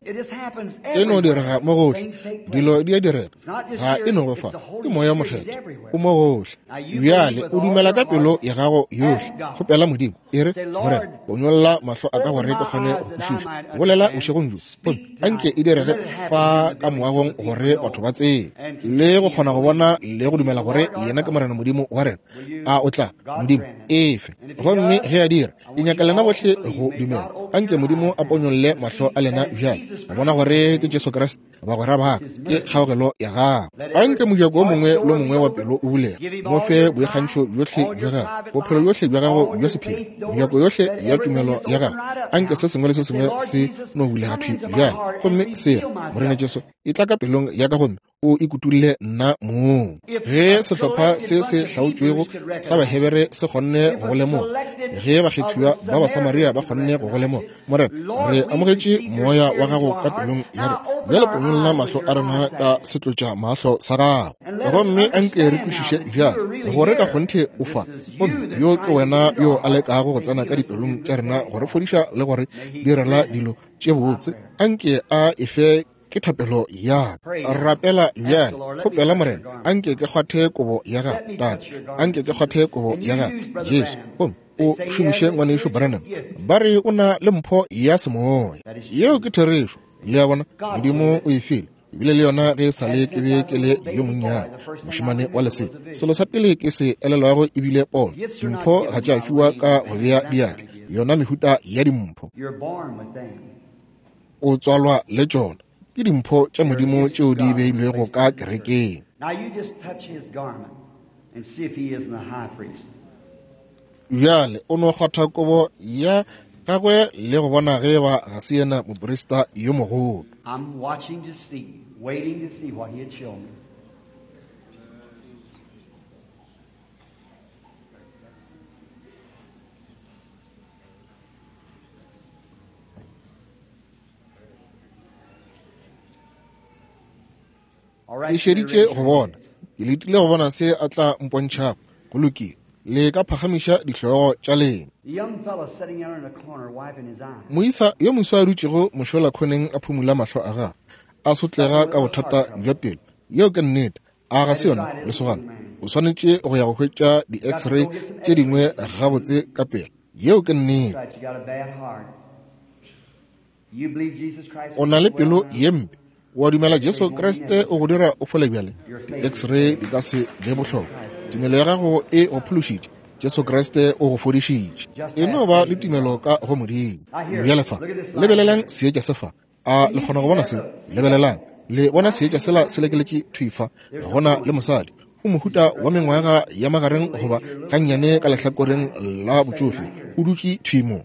E no direga mo gohle, dilo di a direga, ga e no go fa, ke Moya Mokgethwa, o mo gohle. Bjale o dumela ka pelo ya gago yohle, kgopela Modimo, e re, Morena, ponyolla mahlo a ka gore ke kgone go kwešiša. Bolela bošegong bjo, gomme anke e direge fa ka moagong gore batho ba tsebe le go kgona go bona le go dumela gore yena ke Morena Modimo wa rena. A o tla, Modimo, efe? Gomme ge a dira, Ke nyaka lena bohle go dumela. Anke Modimo a ponyolle mahlo a lena bjale, go bona gore ke Jesu Kriste, bagwera ba ka, ke kgaogelo ya gagwe. Anke mojako o mongwe le mongwe wa pelo o bulege, mo fe boikgantšho bjohle bja gago, bophelo bjohle bja gago bja sephiri, mejako yohle ya tumelo ya gago. Anke se sengwe le se sengwe se no bulega thwi bjale, gomme se re, Morena Jesu, etla ka pelong ya ka gomme o ikutulle nna mong. Ge sehlopha se se hlaotšwego sa Bahebere se kgonne go go lemoga, ge bakgethiwa ba Basamaria ba kgonne go go lemoga, Morena, re amogetše moya wa gago ka pelong ya rena. Bjale ponyolla mahlo a rena ka setlotša mahlo sa gago, gomme anke re kwešiše bjale gore ka kgonthe o fa, gomme yo ke wena yo a lekago go tsena ka dipelong tša rena go re fodiša le go re direla dilo tše botse. Anke a e fe Ke thapelo ya ka. Rapela bjale. Kgopela Morena, a nke ke kgwathe kobo ya gago, Tate. A nke ke kgwathe kobo ya gago, Jesu. Gomme o šomiše ngwanešu Branham. Ba re o na le mpho ya semoya. Yeo ke therešo. Le a bona? Modimo o e file. Ebile le yona ge e sa le ke be ke le yo monnyane, mošemane wa lesea. Selo sa pele ke se elelwago e bile pono. Dimpho ga tša fiwa ka go bea diatla, yona mehuta ya dimpho. O tswalwa le tšona. Ke dimpho tša Modimo tšeo di beilwego ka kerekeng. Bjale o no kgwatha kobo ya gagwe le go bona ge ba ga se yena moprista yo mogolo. I'm watching to see, waiting to see what he'd show me. Ke šeditše go bona, ke letile go bona se a tla mpontšhago. Go lokile, le ka phagamiša dihlogo tša lena. Moisa yo moswa a dutšego mošola khoneng a phumula mahlo a gagwe, a sotlega ka bothata bja pelo. Yeo ke nnete. A ga se yona, lesogana? O swanetše go ya go hwetša di-x-ray tše dingwe gabotse ka pela. Yeo ke nnete. O na le pelo ye mpe. O a dumela Jesu Kriste o go dira o fole bjale? Di-x-ray di ka se be bohlokwa. Tumelo ya gago e go phološitše. Jesu Kriste o go fodišitše. E no ba le tumelo ka go Modimo. Bjale fa, lebelelang seetša se fa. A le kgona go bona seo? Lebelelang. Le bona seetša sela se lekeletše thwi fa. Go na le mosadi. O mohuta wa mengwaga ya magareng goba gannyane ka lehlakoreng la botšofe. O dutše thwi mo.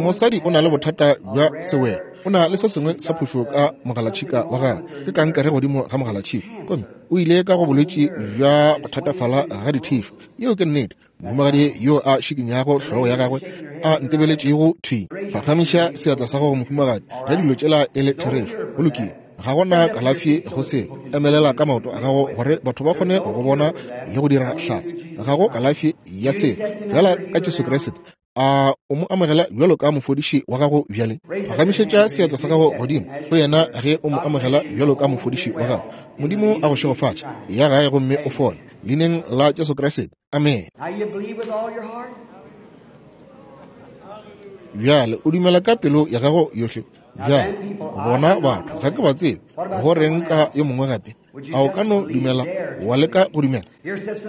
Mosadi o na le bothata bja sewelo. O na le se sengwe sa phošo ka mogalatšhika wa gagwe. Ke kankere godimo ga mogalatšhika. Gomme o ile ka go bolwetši bja go thatafala ga dithišo. Yeo ke nnete. Mohumagadi yo a šikinyago hlogo ya gagwe a ntebeletšego thwi. Phagamiša seatla sa gago, mohumagadi, ge dilo tšela e le therešo. Go lokile. Ga go na kalafi go se. Emelela ka maoto a gago gore batho ba kgone go go bona le go dira hlatse. Ga go kalafi ya se, feela ka Jesu Kriste. A o mo amogela bjalo ka mofodiši wa gago bjale? Phagamišetša seatla sa gago godimo go yena ge o mo amogela bjalo ka mofodiši wa gago. Modimo a go šegofatše. Ya gae gomme o fole. Leineng la Jesu Kriste. Amene. Bjale o dumela ka pelo ya gago yohle. Bjale bona batho ga ke ba tsebe. Go reng ka yo mongwe gape? A o ka no dumela wa leka go dumela?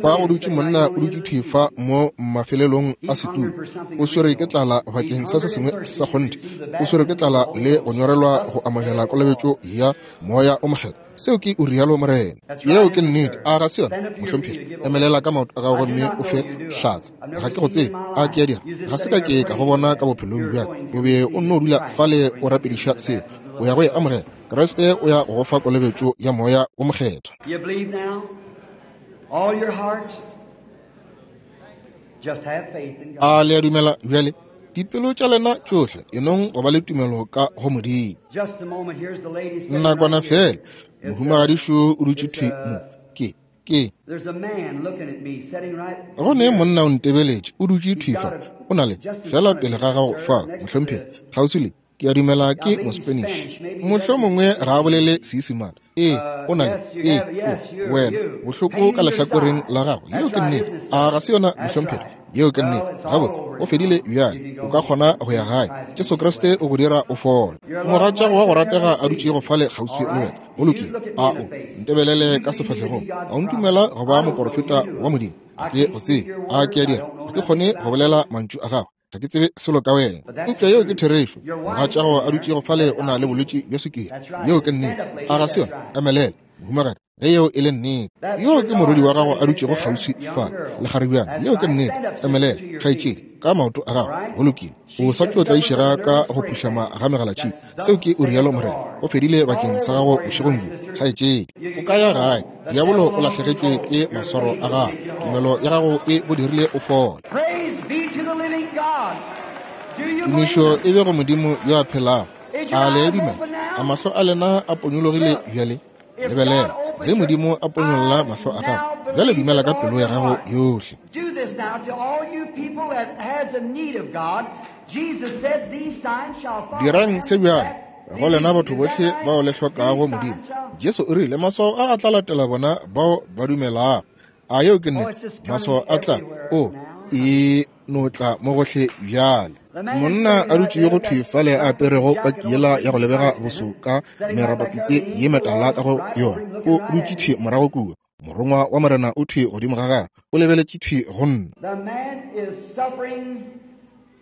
Fa go dutše monna o dutše thwi fa mo mafelelong a setulo. O swere ke tlala bakeng sa se sengwe sa kgonthe. O swere ke tlala le go nyorelwa go amogela kolobetšo ya Moya o Mokgethwa. Seo ke o rialo Morena. Yeo ke nnete. A ga se yona, mohlomphegi? Emelela ka maoto a gago gomme o fe hlatse. Ga ke go tsebe. A ke a dira? Ga se ka ke ka go bona ka bophelong bja ka. O be o nno dula fale o rapediša seo. O ya go e amogela. Kriste o ya go go fa kolobetšo ya Moya wo Mokgethwa. You believe now? All your hearts? Just have faith in God. A le a dumela bjale? Dipelo tša lena tšohle, enong go ba le tumelo ka go Modimo. Just a moment, here's the lady sitting Nakwana right here. fela, mohumagadišo o dutše thwi mo. Ke, ke. There's a man looking at me sitting right Go ne here. monna o ntebeletše, o dutše thwi fa. O na le, feela pele ga gago fa, mohlomphegi, kgauswi le, ke a dumela ke Mospanish. Mohlomongwe ga a bolele Seisemane. Ee, o na le, ee, o, wena, bohloko ka lehlakoreng la gago. Yeo ke nnete. A ga se yona, mohlomphegi? Yeo ke nnete. Gabotse, go fedile bjale. O ka kgona go ya gae. Jesu Kriste o go dira o fole. Mogatšago wa go ratega a dutšego fale kgauswi le wena. Go lokile. A o ntebelele ka sefahlegong. A o ntumela go ba moporofeta wa Modimo? Ga ke go tsebe. A ke a dira? Ga ke kgone go bolela mantšu a gago. Ga ke tsebe selo ka wena. Eupša yeo ke therešo. Mogatšago a dutšego fale o na le bolwetši bja sukiri. Yeo ke nnete. A ga se yona? Emelela, mohumagadi, ge yeo e le nnete. Yoo ke morwedi wa gago a dutšego kgauswi fa, lekgarebjana. Yeo ke nnete. Emelela, kgaetšedi, ka maoto a gago. Go lokile. O sa tlo tlaišega ka go phuhlama ga megalatšhika. Seo ke o rialo Morena. Go fedile bakeng sa gago bošegong bjo, kgaetšedi. O ka ya gae. Diabolo o lahlegetšwe ke maswaro a gago. Tumelo ya gago e go dirile o fole. Praise be to the living God. Do you believe Tumišo it? e be go Modimo yo a phelago. Is your A le a eyes dumela? open now? A mahlo a lena a ponyologile Look, bjale? if God Lebelela, opens ge your Modimo a ponyolla eyes mahlo a gago, now, bjale believe dumela with ka all pelo ya your gago heart. yohle. Do this now to all you people that has a need of God. Jesus said, These signs shall follow Dirang them se bjale that go lena believe. batho Is that bohle right? bao le hlokago These Modimo. signs shall. Jesu o rile maswao a a tla latela bona bao ba dumelago. A yeo ke Oh, nnete? it's just coming Maswao a tla, everywhere o now. e no tla mo gohle bjale. The man Monna sitting a right dutšego there, thwi that fale a black aperego jacket paki on, yela ya go Jesus lebega Christ in boso it, ka sitting right back there, merapapitse the ye angel of the metala Lord ka is go right over yona, him, o looking right dutše at thwi me. morago kua. Morongwa wa Morena o thwi godimo ga gagwe, o lebeletše thwi go nna. The man is suffering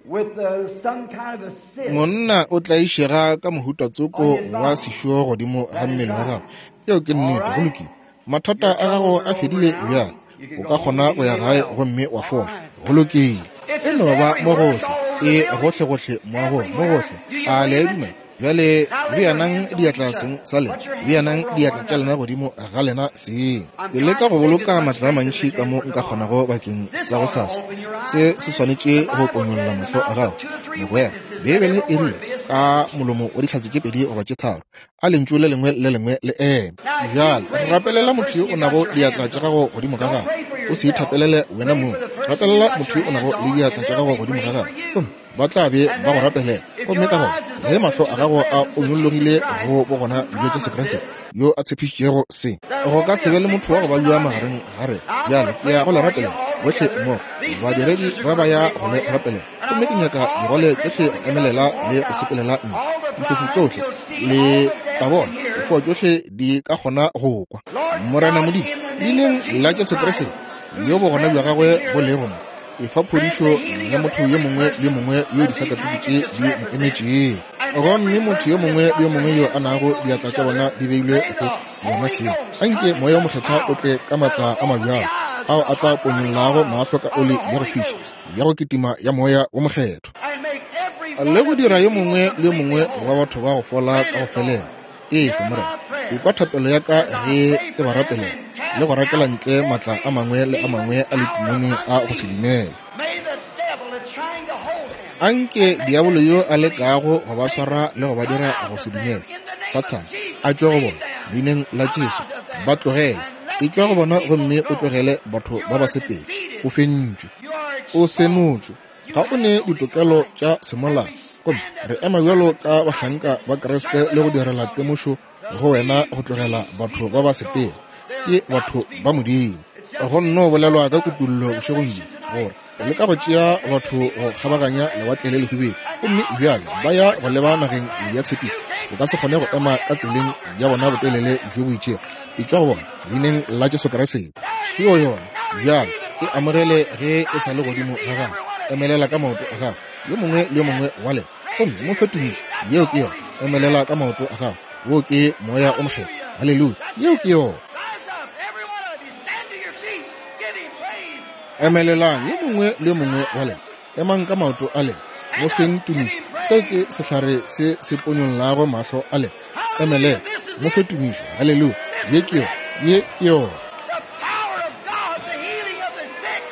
with some kind of a cyst Monna o tlaišega ka mohuta on tsoko his wa body. sešo godimo ga That is mmele wa right. gagwe. Yeo ke All nnete, go right. lokile. Mathata Your a gago troubles a are over fedile now. bjale. You can O go ka home kgona and go be ya made gae well. gomme wa All fola. right. Go lokile. It's E just no ba mo everywhere. It's gohle, all over the e building. gohlegohle moagong, mo Everywhere. gohle. Do you A le a believe it? dumela? Bjale Now lay your beanang hands on each diatla other. seng sa lena, Put your hands beanang over on diatla one tša another. lena godimo ga lena seng. I'm Ke leka trying go to save as boloka much matla a strength as I mantši ka can mo for nka tomorrow. kgonago bakeng This sa go ought to sasa. open your eyes, Se se friend. swanetše The go Bible said ponyolla in the mahlo a mouth gago. of 2 or 3 Mogwera, witnesses let Beibele every e word rile be ka established. molomo wa dihlatse tše pedi goba tše tharo, a lentšu le lengwe le lengwe le eme. Now, if you Bjale pray for the rapelela motho person yo o you got nago your diatla hands tša on, gago godimo ga don't gagwe. pray for O se yourself. ithapelele wena Pray mong. for the person you Rapelela got motho your yo o nago hands le on, and diatla tša they'll gago be godimo ga praying for gagwe, you. gomme ba tla be And ba go then, rapelela. if Gomme your ka gona eyes is ge open mahlo to a the gago a presence of Jesus onyologile Christ, go bogona who bja Jesu promised Kriste this, yo a tshepišitšego se, there go won't ka be se a be le sick motho wa go person babja on it. magareng ga rena. I'm Bjale going to ke ya pray go le for you rapelela all bohle together. mmogo. These Badiredi ministers are ba ba going to ya pray go for le you. rapelela, And I gomme ke want nyaka all digole the tšohle crippled go to get up emelela and le walk go out. sepelela ntle. All the Difofu blind, tšohle you'll see le all the tla deaf can bona, hear. difoa tšohle di ka kgona go kwa. Lord Morena God, Modimo, in the name leineng of la Jesus Jesu Christ, Kriste, yo whose bogona bja presence gagwe is bo here, lego mo, Efa phodišo ya motho yo mongwe le yo mongwe yo disakatuku tše di mo emetšego. Gomme motho yo mongwe le yo mongwe yo a nago diatla tša bona di beilwe go bona seo, anke Moya wo Mokgethwa o tle ka maatla a mabjalo ao a tla ponyollago mahlo ka oli ya go fiša ya go kitima ya Moya wo Mokgethwa, le go dira yo mongwe le yo mongwe wa batho ba go fola ka go felela. Efe, Morena, ekwa thapelo ya ka ge ke ba rapelela le go rakela ntle maatla a mangwe le a mangwe a letimone a go se dumele. Anke diabolo yo a lekago go ba swara le go ba dira go se dumele, Sathane, a tšwe go bona, leineng la Jesu. Ba tlogele. Etšwa go bona gomme o tlogele batho ba ba sepele. O fentšwe. O senotšwe. Ga o ne ditokelo tša semolao. Gomme re ema bjalo ka bahlanka ba Kriste le go direla temošo go wena go tlogela batho ba ba sepele. Ke batho ba Modimo. Go nno bolelwa ka kutullo bošegong bjo gore le ka go tšea batho go kgabaganya lewatle le lehubedu, gomme bjale ba ya go leba nageng ya tshepišo. O ka se kgone go ema ka tseleng ya bona botelele bjo bo itšego. Etšwa go bona leineng la Jesu Kriste. Šeo yona. Bjale e amogele ge e sa le godimo ga gago. Emelela ka maoto a gago, yo mongwe le yo mongwe wa lena, gomme mo fe tumišo. Yeo ke yona. Emelela ka maoto a gago. Wo ke Moya o Mokgethwa. Haleluya. Yeo ke yona. Emelelang, yo mongwe le yo mongwe wa lena. Emang ka maoto a lena. Mo feng tumišo. Seo ke sehlare se se ponyollago mahlo a lena. Emelela, mo fe tumišo. Haleluya. Ye ke yona. Ye ke yona.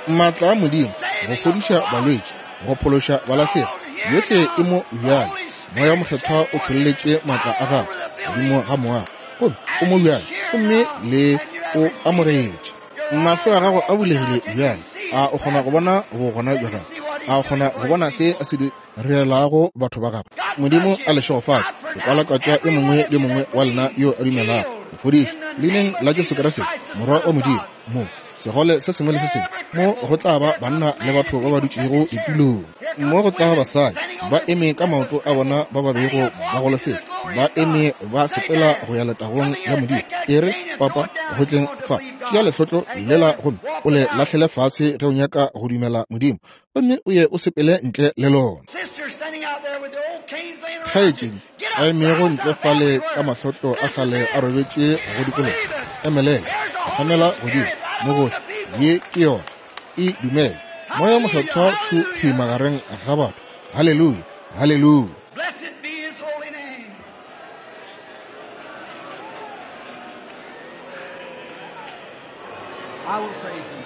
Maatla a Modimo go fodiša balwetši, go phološa balahlegi, yohle e mo bjale. Moya wo Mokgethwa o tšholletše maatla a gagwe godimo ga moago, gomme o mo bjale, gomme le o amogetše. Mahlo a gago a bulegile bjale. A o kgona go bona bogona bja gagwe? A o kgona go bona se a se direlago batho ba gagwe? Modimo a le šegofatše. Ke kwalakwatša yo mongwe le yo mongwe wa lena yo a dumelago go fodišwa leineng la Jesu Kriste, Morwa wa Modimo. Mo segole se sengwe le se sengwe, mo go tla ba banna le batho ba ba dutšego ditulong, mo go tla ba basadi ba eme ka maoto a bona ba ba bego ba golofetše, ba eme ba sepela go ya letagong la Modimo. E re, Papa, go tleng fa, tšea lehlotlo lela gomme o le lahlele fase ge o nyaka go dumela Modimo, gomme o ye o sepele ntle le lona. Kgaetšedi a emego ntle fale ka mahlotlo a kgale a robetše go dikologa, emelela, phagamela godimo mo gohle. Ye ke yona. E dumele. Moya wo Mokgethwa šo thwi magareng ga batho. Haleluya! Haleluya! Blessed be his holy name. I will praise him.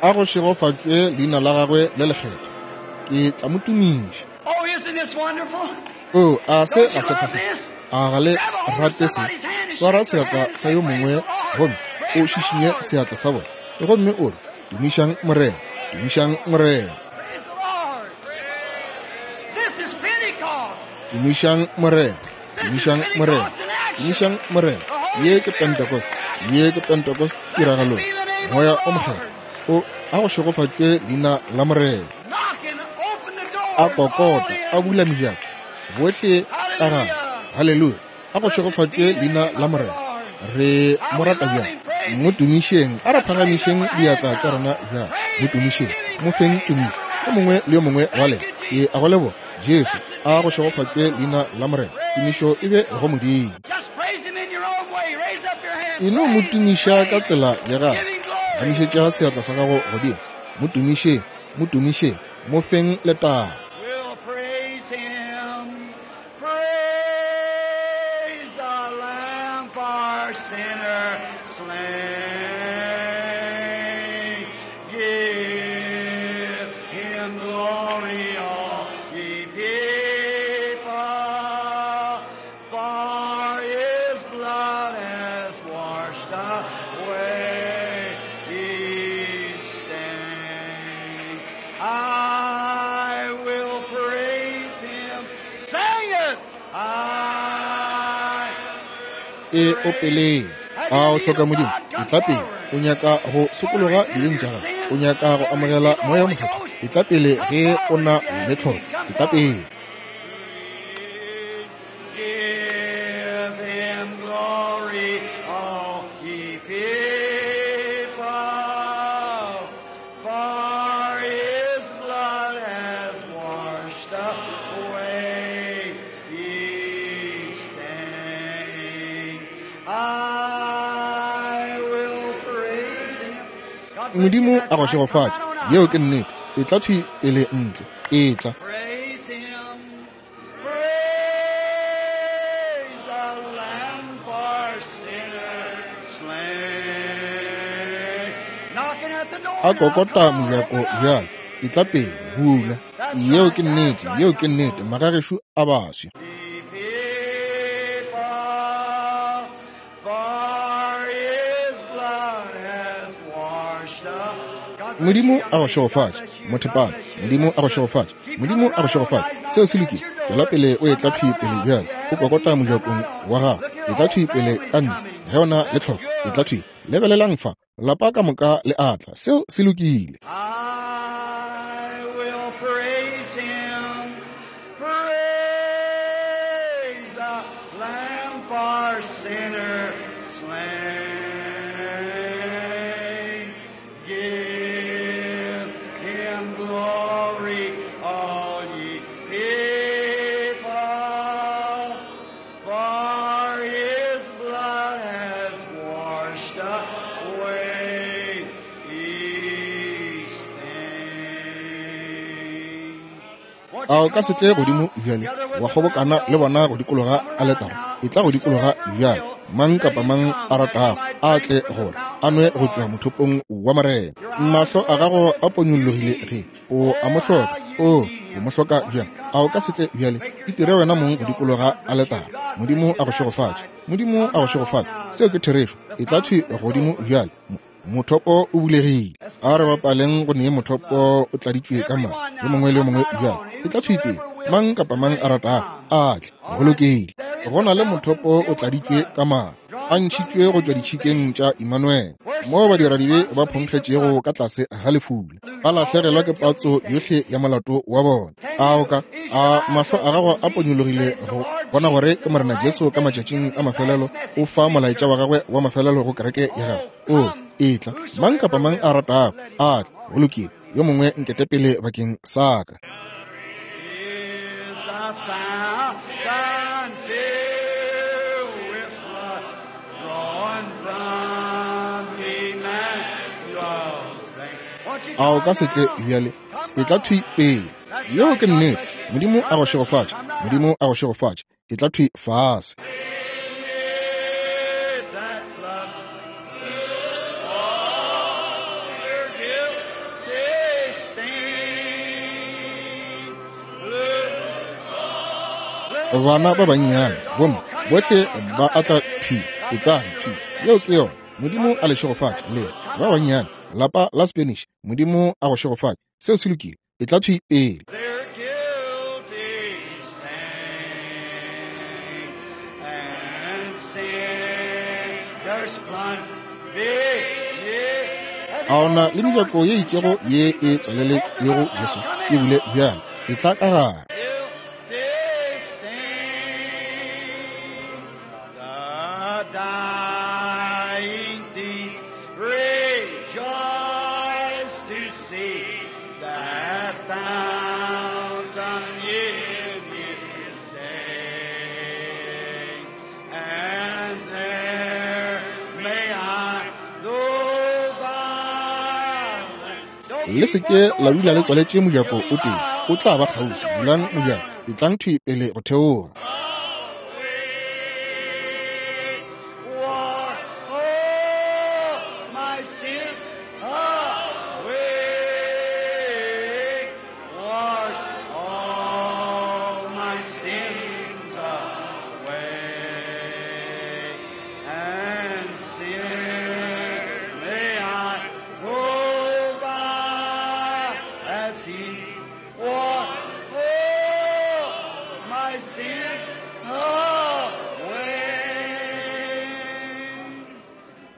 A go šegofatšwe leina la gagwe le lekgethwa. Ke tla mo tumiša. Oh, isn't this wonderful? O, a se Don't ga you se love kgahliše? this? A ga le Grab a hold of rate se? somebody's hand and Swara shake their seatla hand and sa say, yo Praise mongwe the Lord. gomme o Praise the šišinye Lord. seatla sa bona, gomme o re, Tumišang Morena, tumišang Morena. Praise the Lord. This is Pentecost. Tumišang Morena, This is tumišang Morena, Pentecost in action. tumišang Morena. The Holy Ye ke Spirit. Pentecost, ye ke Pentecost Blessed tiragalong. be the name of Moya the o Lord. Mokgethwa o a go šegofatšwe leina la Morena. Knock and open the A doors, all kokota, a in. bula mejako, bohle ka gare. Hallelujah. Haleluya. A go Blessed be šegofatšwe the leina name la of the Morena. Lord. Re How mo we rata love bjang. him. Praise Mo him. tumišeng, a re Let's raise up phagamišeng our hands diatla tša now. rena bjang. Mo Praise him. tumišeng, Give him mo feng praise, tumišo. Yo everyone. mongwe le yo mongwe wa Thank lena. you, Ke a go Jesus. leboga, Jesu. Blessed A be go the name of šegofatšwe the leina Lord. la Morena. Tumišo e be Praise go God. Modimo. Just praise him in your own way. Raise up your hand. E no mo Praise him. tumiša ka Praise him. tsela ya gago. Give him glory. Phagamišetša seatla sa gago godimo. Mo tumišeng, mo tumišeng, mo feng letago. We'll praise him. Praise the Lamb for sinner slain. Give him glory, all ye people, for his blood has washed away each stain. I will praise him. Sing it. I E praise. opeleng. Have A you o need hloka of Modimo? God? Come Etla pele. forward. O nyaka go Want to sokologa repent of dibeng your tša gago. sins? O nyaka go Want to amogela receive the Moya o Holy Mokgethwa. Ghost? Etla pele Come ge o forward na if you have le tlhoko. need. Come Etla forward. pele. Give him glory, all ye people, for I will praise him. God bless you. Modimo That's a go right. Come right šegofatše. on out. Yeo ke nnete. E tla thwi pele ntle. E tla. Praise him. Praise the Lamb for sinners slain. Knocking at the door A now. kokota Come on, mojako open up. bjale. E tla pele. Bula. That's Yeo right. ke That's nnete. right. Yeo Now ke nnete. close. Magagešo a baswi. Ye people, for his blood has washed up. God bless you, Modimo young a go lady. God šegofatše. bless you. God Mothepana. bless you. Modimo That's a go good. šegofatše. Keep Modimo coming a go right on. Now šegofatše. he's Seo knocking se at lokile. your Tšwela door. pele o Come etla right thwi on pele out. If bjale. you O have a kokota need, come mojakong right on. wa gago. Look here, E the tla whole thwi pele family's ka ntle. coming. Ge o na le That's tlhoko, e tla good. thwi. Lebelelang fa. Lapa ka moka le atla. Seo se lokile. I will praise him. Praise the Lamb for sinner slain. Give him glory, all ye people, for his blood has washed away each stain. Won't A you o ka come se on tle now, godimo bjale together with wa the kgobokana round le bona altar? go dikologa Come right aletara? now. E tla go dikologa Whosoever bjale. will, Mang let kapa him mang come, a that he ratago might a drink tle from the gore fountain a of nwe the go tšwa Lord. mothopong wa Morena. Your eyes Mahlo are a gago open, a you ponyologile need ge him. o a mo Oh, hloka. how you O need o him. mo hloka Won't you bjang? come A o ka se now? tle bjale? Make Itire yourself wena down mong at go the altar. dikologa God bless you. aletara. God bless Modimo you. a go That's šegofatše. right. Modimo Come a go right on šegofatše. now. Seo ke The, therešo. the E tla thwi fountain is godimo open. bjale. Mothopo o bulegile. Let's A re praise bapaleng go nee with mothopo love. o tladitšwe ka madi. Everyone Yo now, mongwe le yo come mongwe right bjale. on. E tla thwi pele. Whosoever will, Mang kapa mang let a him ratago come. a tle. All Go right. lokile. There is Go a na le fountain mothopo o filled with tladitšwe blood, ka madi, a drawn from ntšhitšwe go tšwa Emmanuel's ditšhikeng veins, tša Immanuel, where moo sinners badiradibe plunge ba beneath the phonkgetšego flood, ka tlase ga lefula, lose ba all lahlegelwa their ke guilty patso stain. yohle ya molato wa bona. Can A o you, ka is your a eyes mahlo a open gago to a see that ponyologile it's the go Lord bona gore Jesus ke in the Morena last Jesu ka days matšatšing giving a his mafelelo last message o fa to his molaetša wa church? gagwe wa mafelelo go kereke ya gagwe? Oh, O come, e tla. Mang kapa whosoever mang a will, ratago let him a come. tle. All Go right. lokile. Yo mongwe nkete pele bakeng sa ka. Is a fountain filled with blood drawn from Emmanuel's veins. Won't you A o come ka se tle now? bjale? Come E tla right thwi on. pele. That's Yeo right. ke God nnete. bless you. Modimo a God go bless you. šegofatše. Come right Modimo out. a go šegofatše. E tla thwi fase. Let that flood all their guilty stain. Let Bana ba bannyane sinners bomme all coming bohle right on. ba Come right. atla That's it. thwi. God E tlang bless you, thwi. little Yeo Spanish ke yona. lady. God Modimo a bless le you. šegofatše. That's Le good. Come ba right on. bannyane lapa la Spanish. Modimo a go šegofatše. Seo se lokile. E tla thwi pele. Their guilty stain and sinners plunge beneath. Have A you ona got le any doors mejako that's ye been itšego shut to ye e Jesus? Open tswaleletšwego up now. Jesu Come e in. bule bjale. E tla ka gare. Guilty stain, the dying thief rejoice to see that fountain in his day. And there may I, though violence, don't Le se keep ke one la door dula le closed. tswaletše mojako He'll be o tee. loud. O tla ba Open the kgauswi. doors. Bulang Come right mojako. on in. E tlang thwi pele go theoga. Away, war, oh, my sin, away, wash all my sins away, and sin may I go by as he washed all my sin away.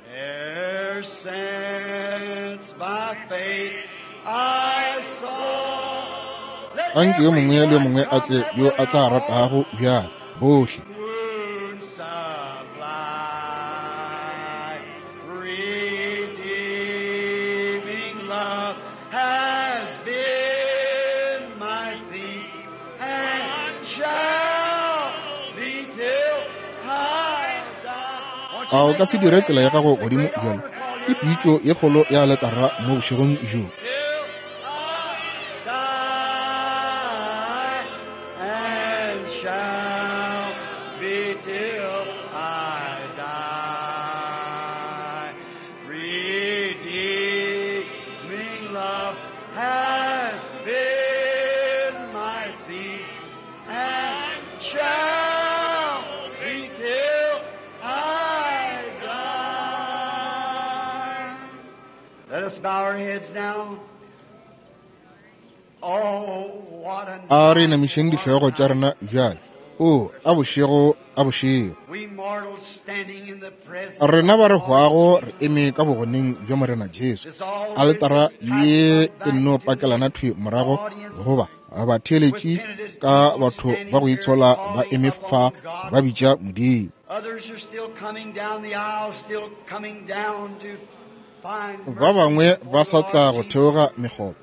E'er since by faith I saw. Let Anke yo mongwe le yo everyone mongwe a come tle that yo will a tla now. ratago bjale. Bohle. Wound supply, redeeming love has been my theme and shall be till I die. A o ka se dire tsela ya gago godimo bjalo? Ke pitšo ye kgolo ya aletara mo bošegong bjo. A re inamišeng dihlogo tša rena bjale. O, a bošego, a bošego. Rena ba re hwago re eme ka bogoneng bja Morena Jesu. Aletara ye e nno pakelana thwi morago goba batheeletši ka batho ba go itshola ba eme fa ba bitša Modimo. Ba bangwe ba sa tla go theoga mekgoba,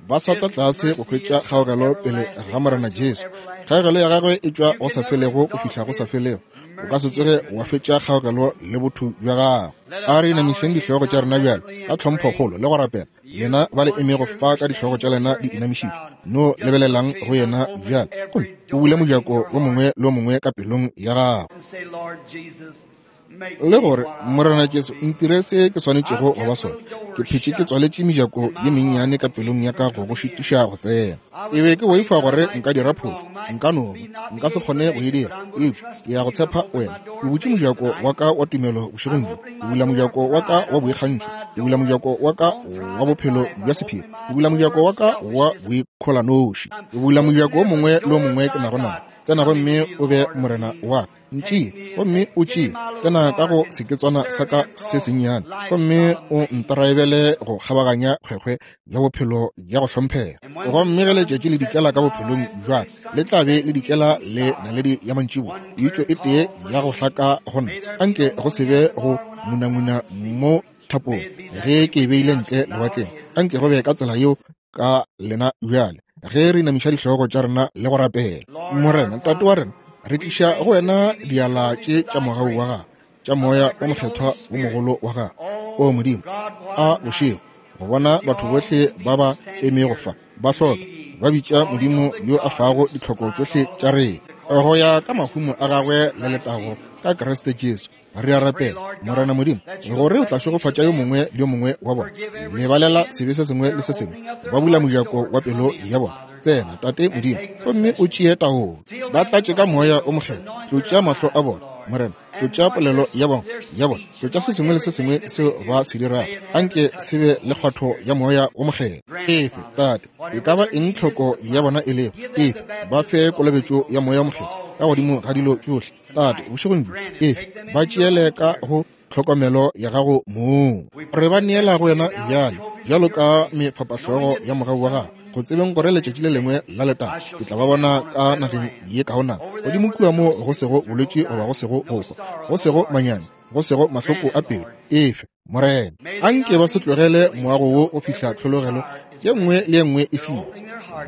ba sa tla tlase go hwetša kgaogelo pele ga Morena Jesu. Kgaogelo ya gagwe e tšwa go sa felego go fihla go sa felego. O ka se tsoge wa fetša kgaogelo le botho bja gagwe. A re inamišeng dihlogo tša rena bjale ka tlhomphokgolo le go rapela. Lena ba le emego fa ka dihlogo tša lena di inamišitšwe, no lebelelang go yena bjale, gomme o bule mojako wo mongwe le wo mongwe ka pelong ya gago. Le gore, Morena Jesu, ntire se ke swanetšego go ba sona. Ke phetše ke tswaletše mejako ye mennyane ka pelong ya ka go go šitiša go tsena. E be ke boifa gore nka dira phošo, nka no ba, nka se kgone go e dira, eupša ke ya go tshepa wena. Ke butše mojako wa ka wa tumelo bošegong bjo. Ke bula mojako wa ka wa boikgantšho. Ke bula mojako wa ka wa bophelo bja sephiri. Ke bula mojako wa ka wa boikholanoši. Ke bula mojako wo mongwe le wo mongwe ke nago nao. Tsena gomme o be Morena wa ka. Ntšee gomme o tšee, tsena ka go seketswana sa ka se sennyane gomme o ntraebele go kgabaganya kgwekgwe ya bophelo ya go hlomphega. Gomme ge letšatši le dikela ka bophelong bja le tla be le dikela le naledi ya mantšiboa, pitšo e tee ya go hlaka go nna, anke go se be go ngunanguna mo thapong ge ke e beile ntle lewatleng, anke go be ka tsela yeo ka lena bjale ge re inamiša dihlogo tša rena le go rapela. Morena Tate wa rena, re tliša go wena diala tše tša mogau wa gago, tša moya wa mokgethwa wo mogolo wa gago. O Modimo, a bošego go bona batho bohle ba ba emego fa ba hloka, ba bitša Modimo yo a fago ditlhoko tšohle tša rena go ya ka mahumo a gagwe le letago ka Kriste Jesu. Re a rapela, Morena Modimo, gore o tla šegofatša yo mongwe le yo mongwe wa bona. Lebalela sebe se sengwe le se sengwe. Ba bula mojako wa pelo ya bona. Tsena, Tate Modimo, gomme o tšee taolo. Ba tlatše ka Moya o Mokgethwa. Tlotša mahlo a bona, Morena. Tlotša polelo ya bona, ya bona. Tlotša se sengwe le se sengwe seo ba se dirago. Anke se be le kgwatho ya Moya o Mokgethwa. Efe, Tate, e ka ba eng tlhoko ya bona e lego, efe, ba fe kolobetšo ya Moya o Mokgethwa ka godimo ga dilo tšohle. Tate, bošegong bjo, efe, ba tšeele ka go tlhokomelo ya gago mong. Re ba neela go wena bjale, bjalo ka mefapahlogo ya mogau wa gago, go tsebeng gore letšatši le lengwe la letago ke tla ba bona ka nageng ye kaonana, godimo kua mo go sego bolwetši goba go sego go hwa, go sego manyami, go sego mahloko a pelo. Efe, Morena, anke ba se tlogele moago wo go fihla tlhologelo ye nngwe le ye nngwe e fiwa.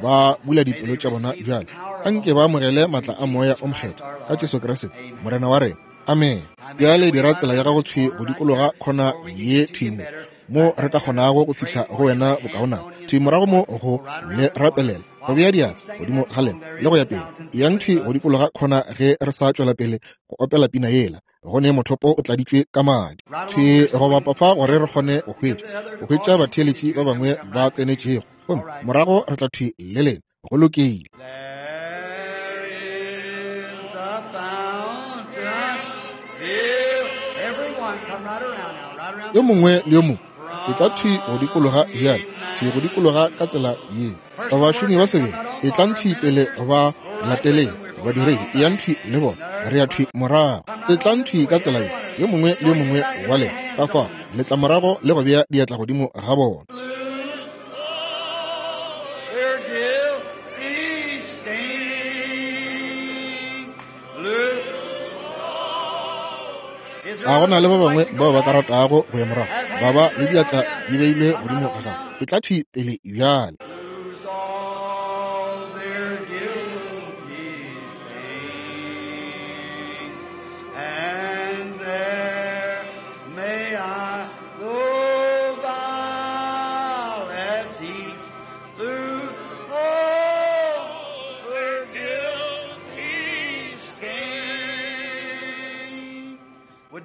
Ba bula dipelo tša bona bjale. Anke ba amogele matla a Moya o Mokgethwa ka Jesu Kriste, Morena wa rena. Amene. Bjale dira tsela ya gago thwi go dikologa khona ye thwi mo, mo re ka kgonago go fihla go wena bokaonana. Thwi morago mo go le rapelela, go bea diatla godimo ga lena le go ya pele. Eyang thwi go dikologa khona ge re sa tšwela pele go opela pina yela. Go ne mothopo o tladitšwe ka madi. Thwi go bapa fa gore re kgone go hwetša, go hwetša batheeletši ba bangwe ba tsenetšego. Gomme morago re tla thwi le lena. Go lokile. Yo mongwe le yo mongwe e tla thwi go dikologa bjale, thwi go dikologa ka tsela ye. Bašomi ba sebele, etlang thwi pele ba lateleng badiredi, eyang thwi le bona, re ya thwi morago. Etlang thwi ka tsela ye, yo mongwe le yo mongwe wa lena. Ka fao le tla morago le go bea diatla godimo ga bona. A go na le ba bangwe bao ba ka ratago go ya morago ba ba le diatla di beilwe godimo ga gago? E tla thwi pele bjale.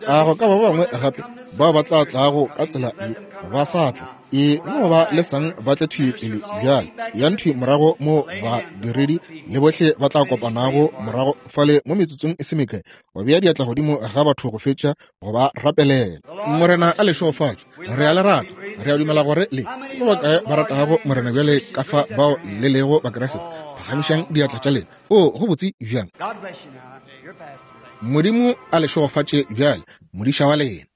A go ka ba bangwe gape bao ba tla tlago ka tsela ye ba sa tla? E no ba le sang ba tle thwi pele bjale, yang thwi morago mo badiredi le bohle ba tla kopanago morago fale mo metsotsong e se mekae, go bea diatla godimo ga batho go fetša go ba rapelela. Morena a le šegofatše. Re a le rata. Re a dumela gore le ke ba bakae ba ratago Morena bjale ka fa bao le lego Bakriste. Phagamišang diatla tša lena. O, go botse bjang. Modimo a le šegofatše bjale, modiša wa lena.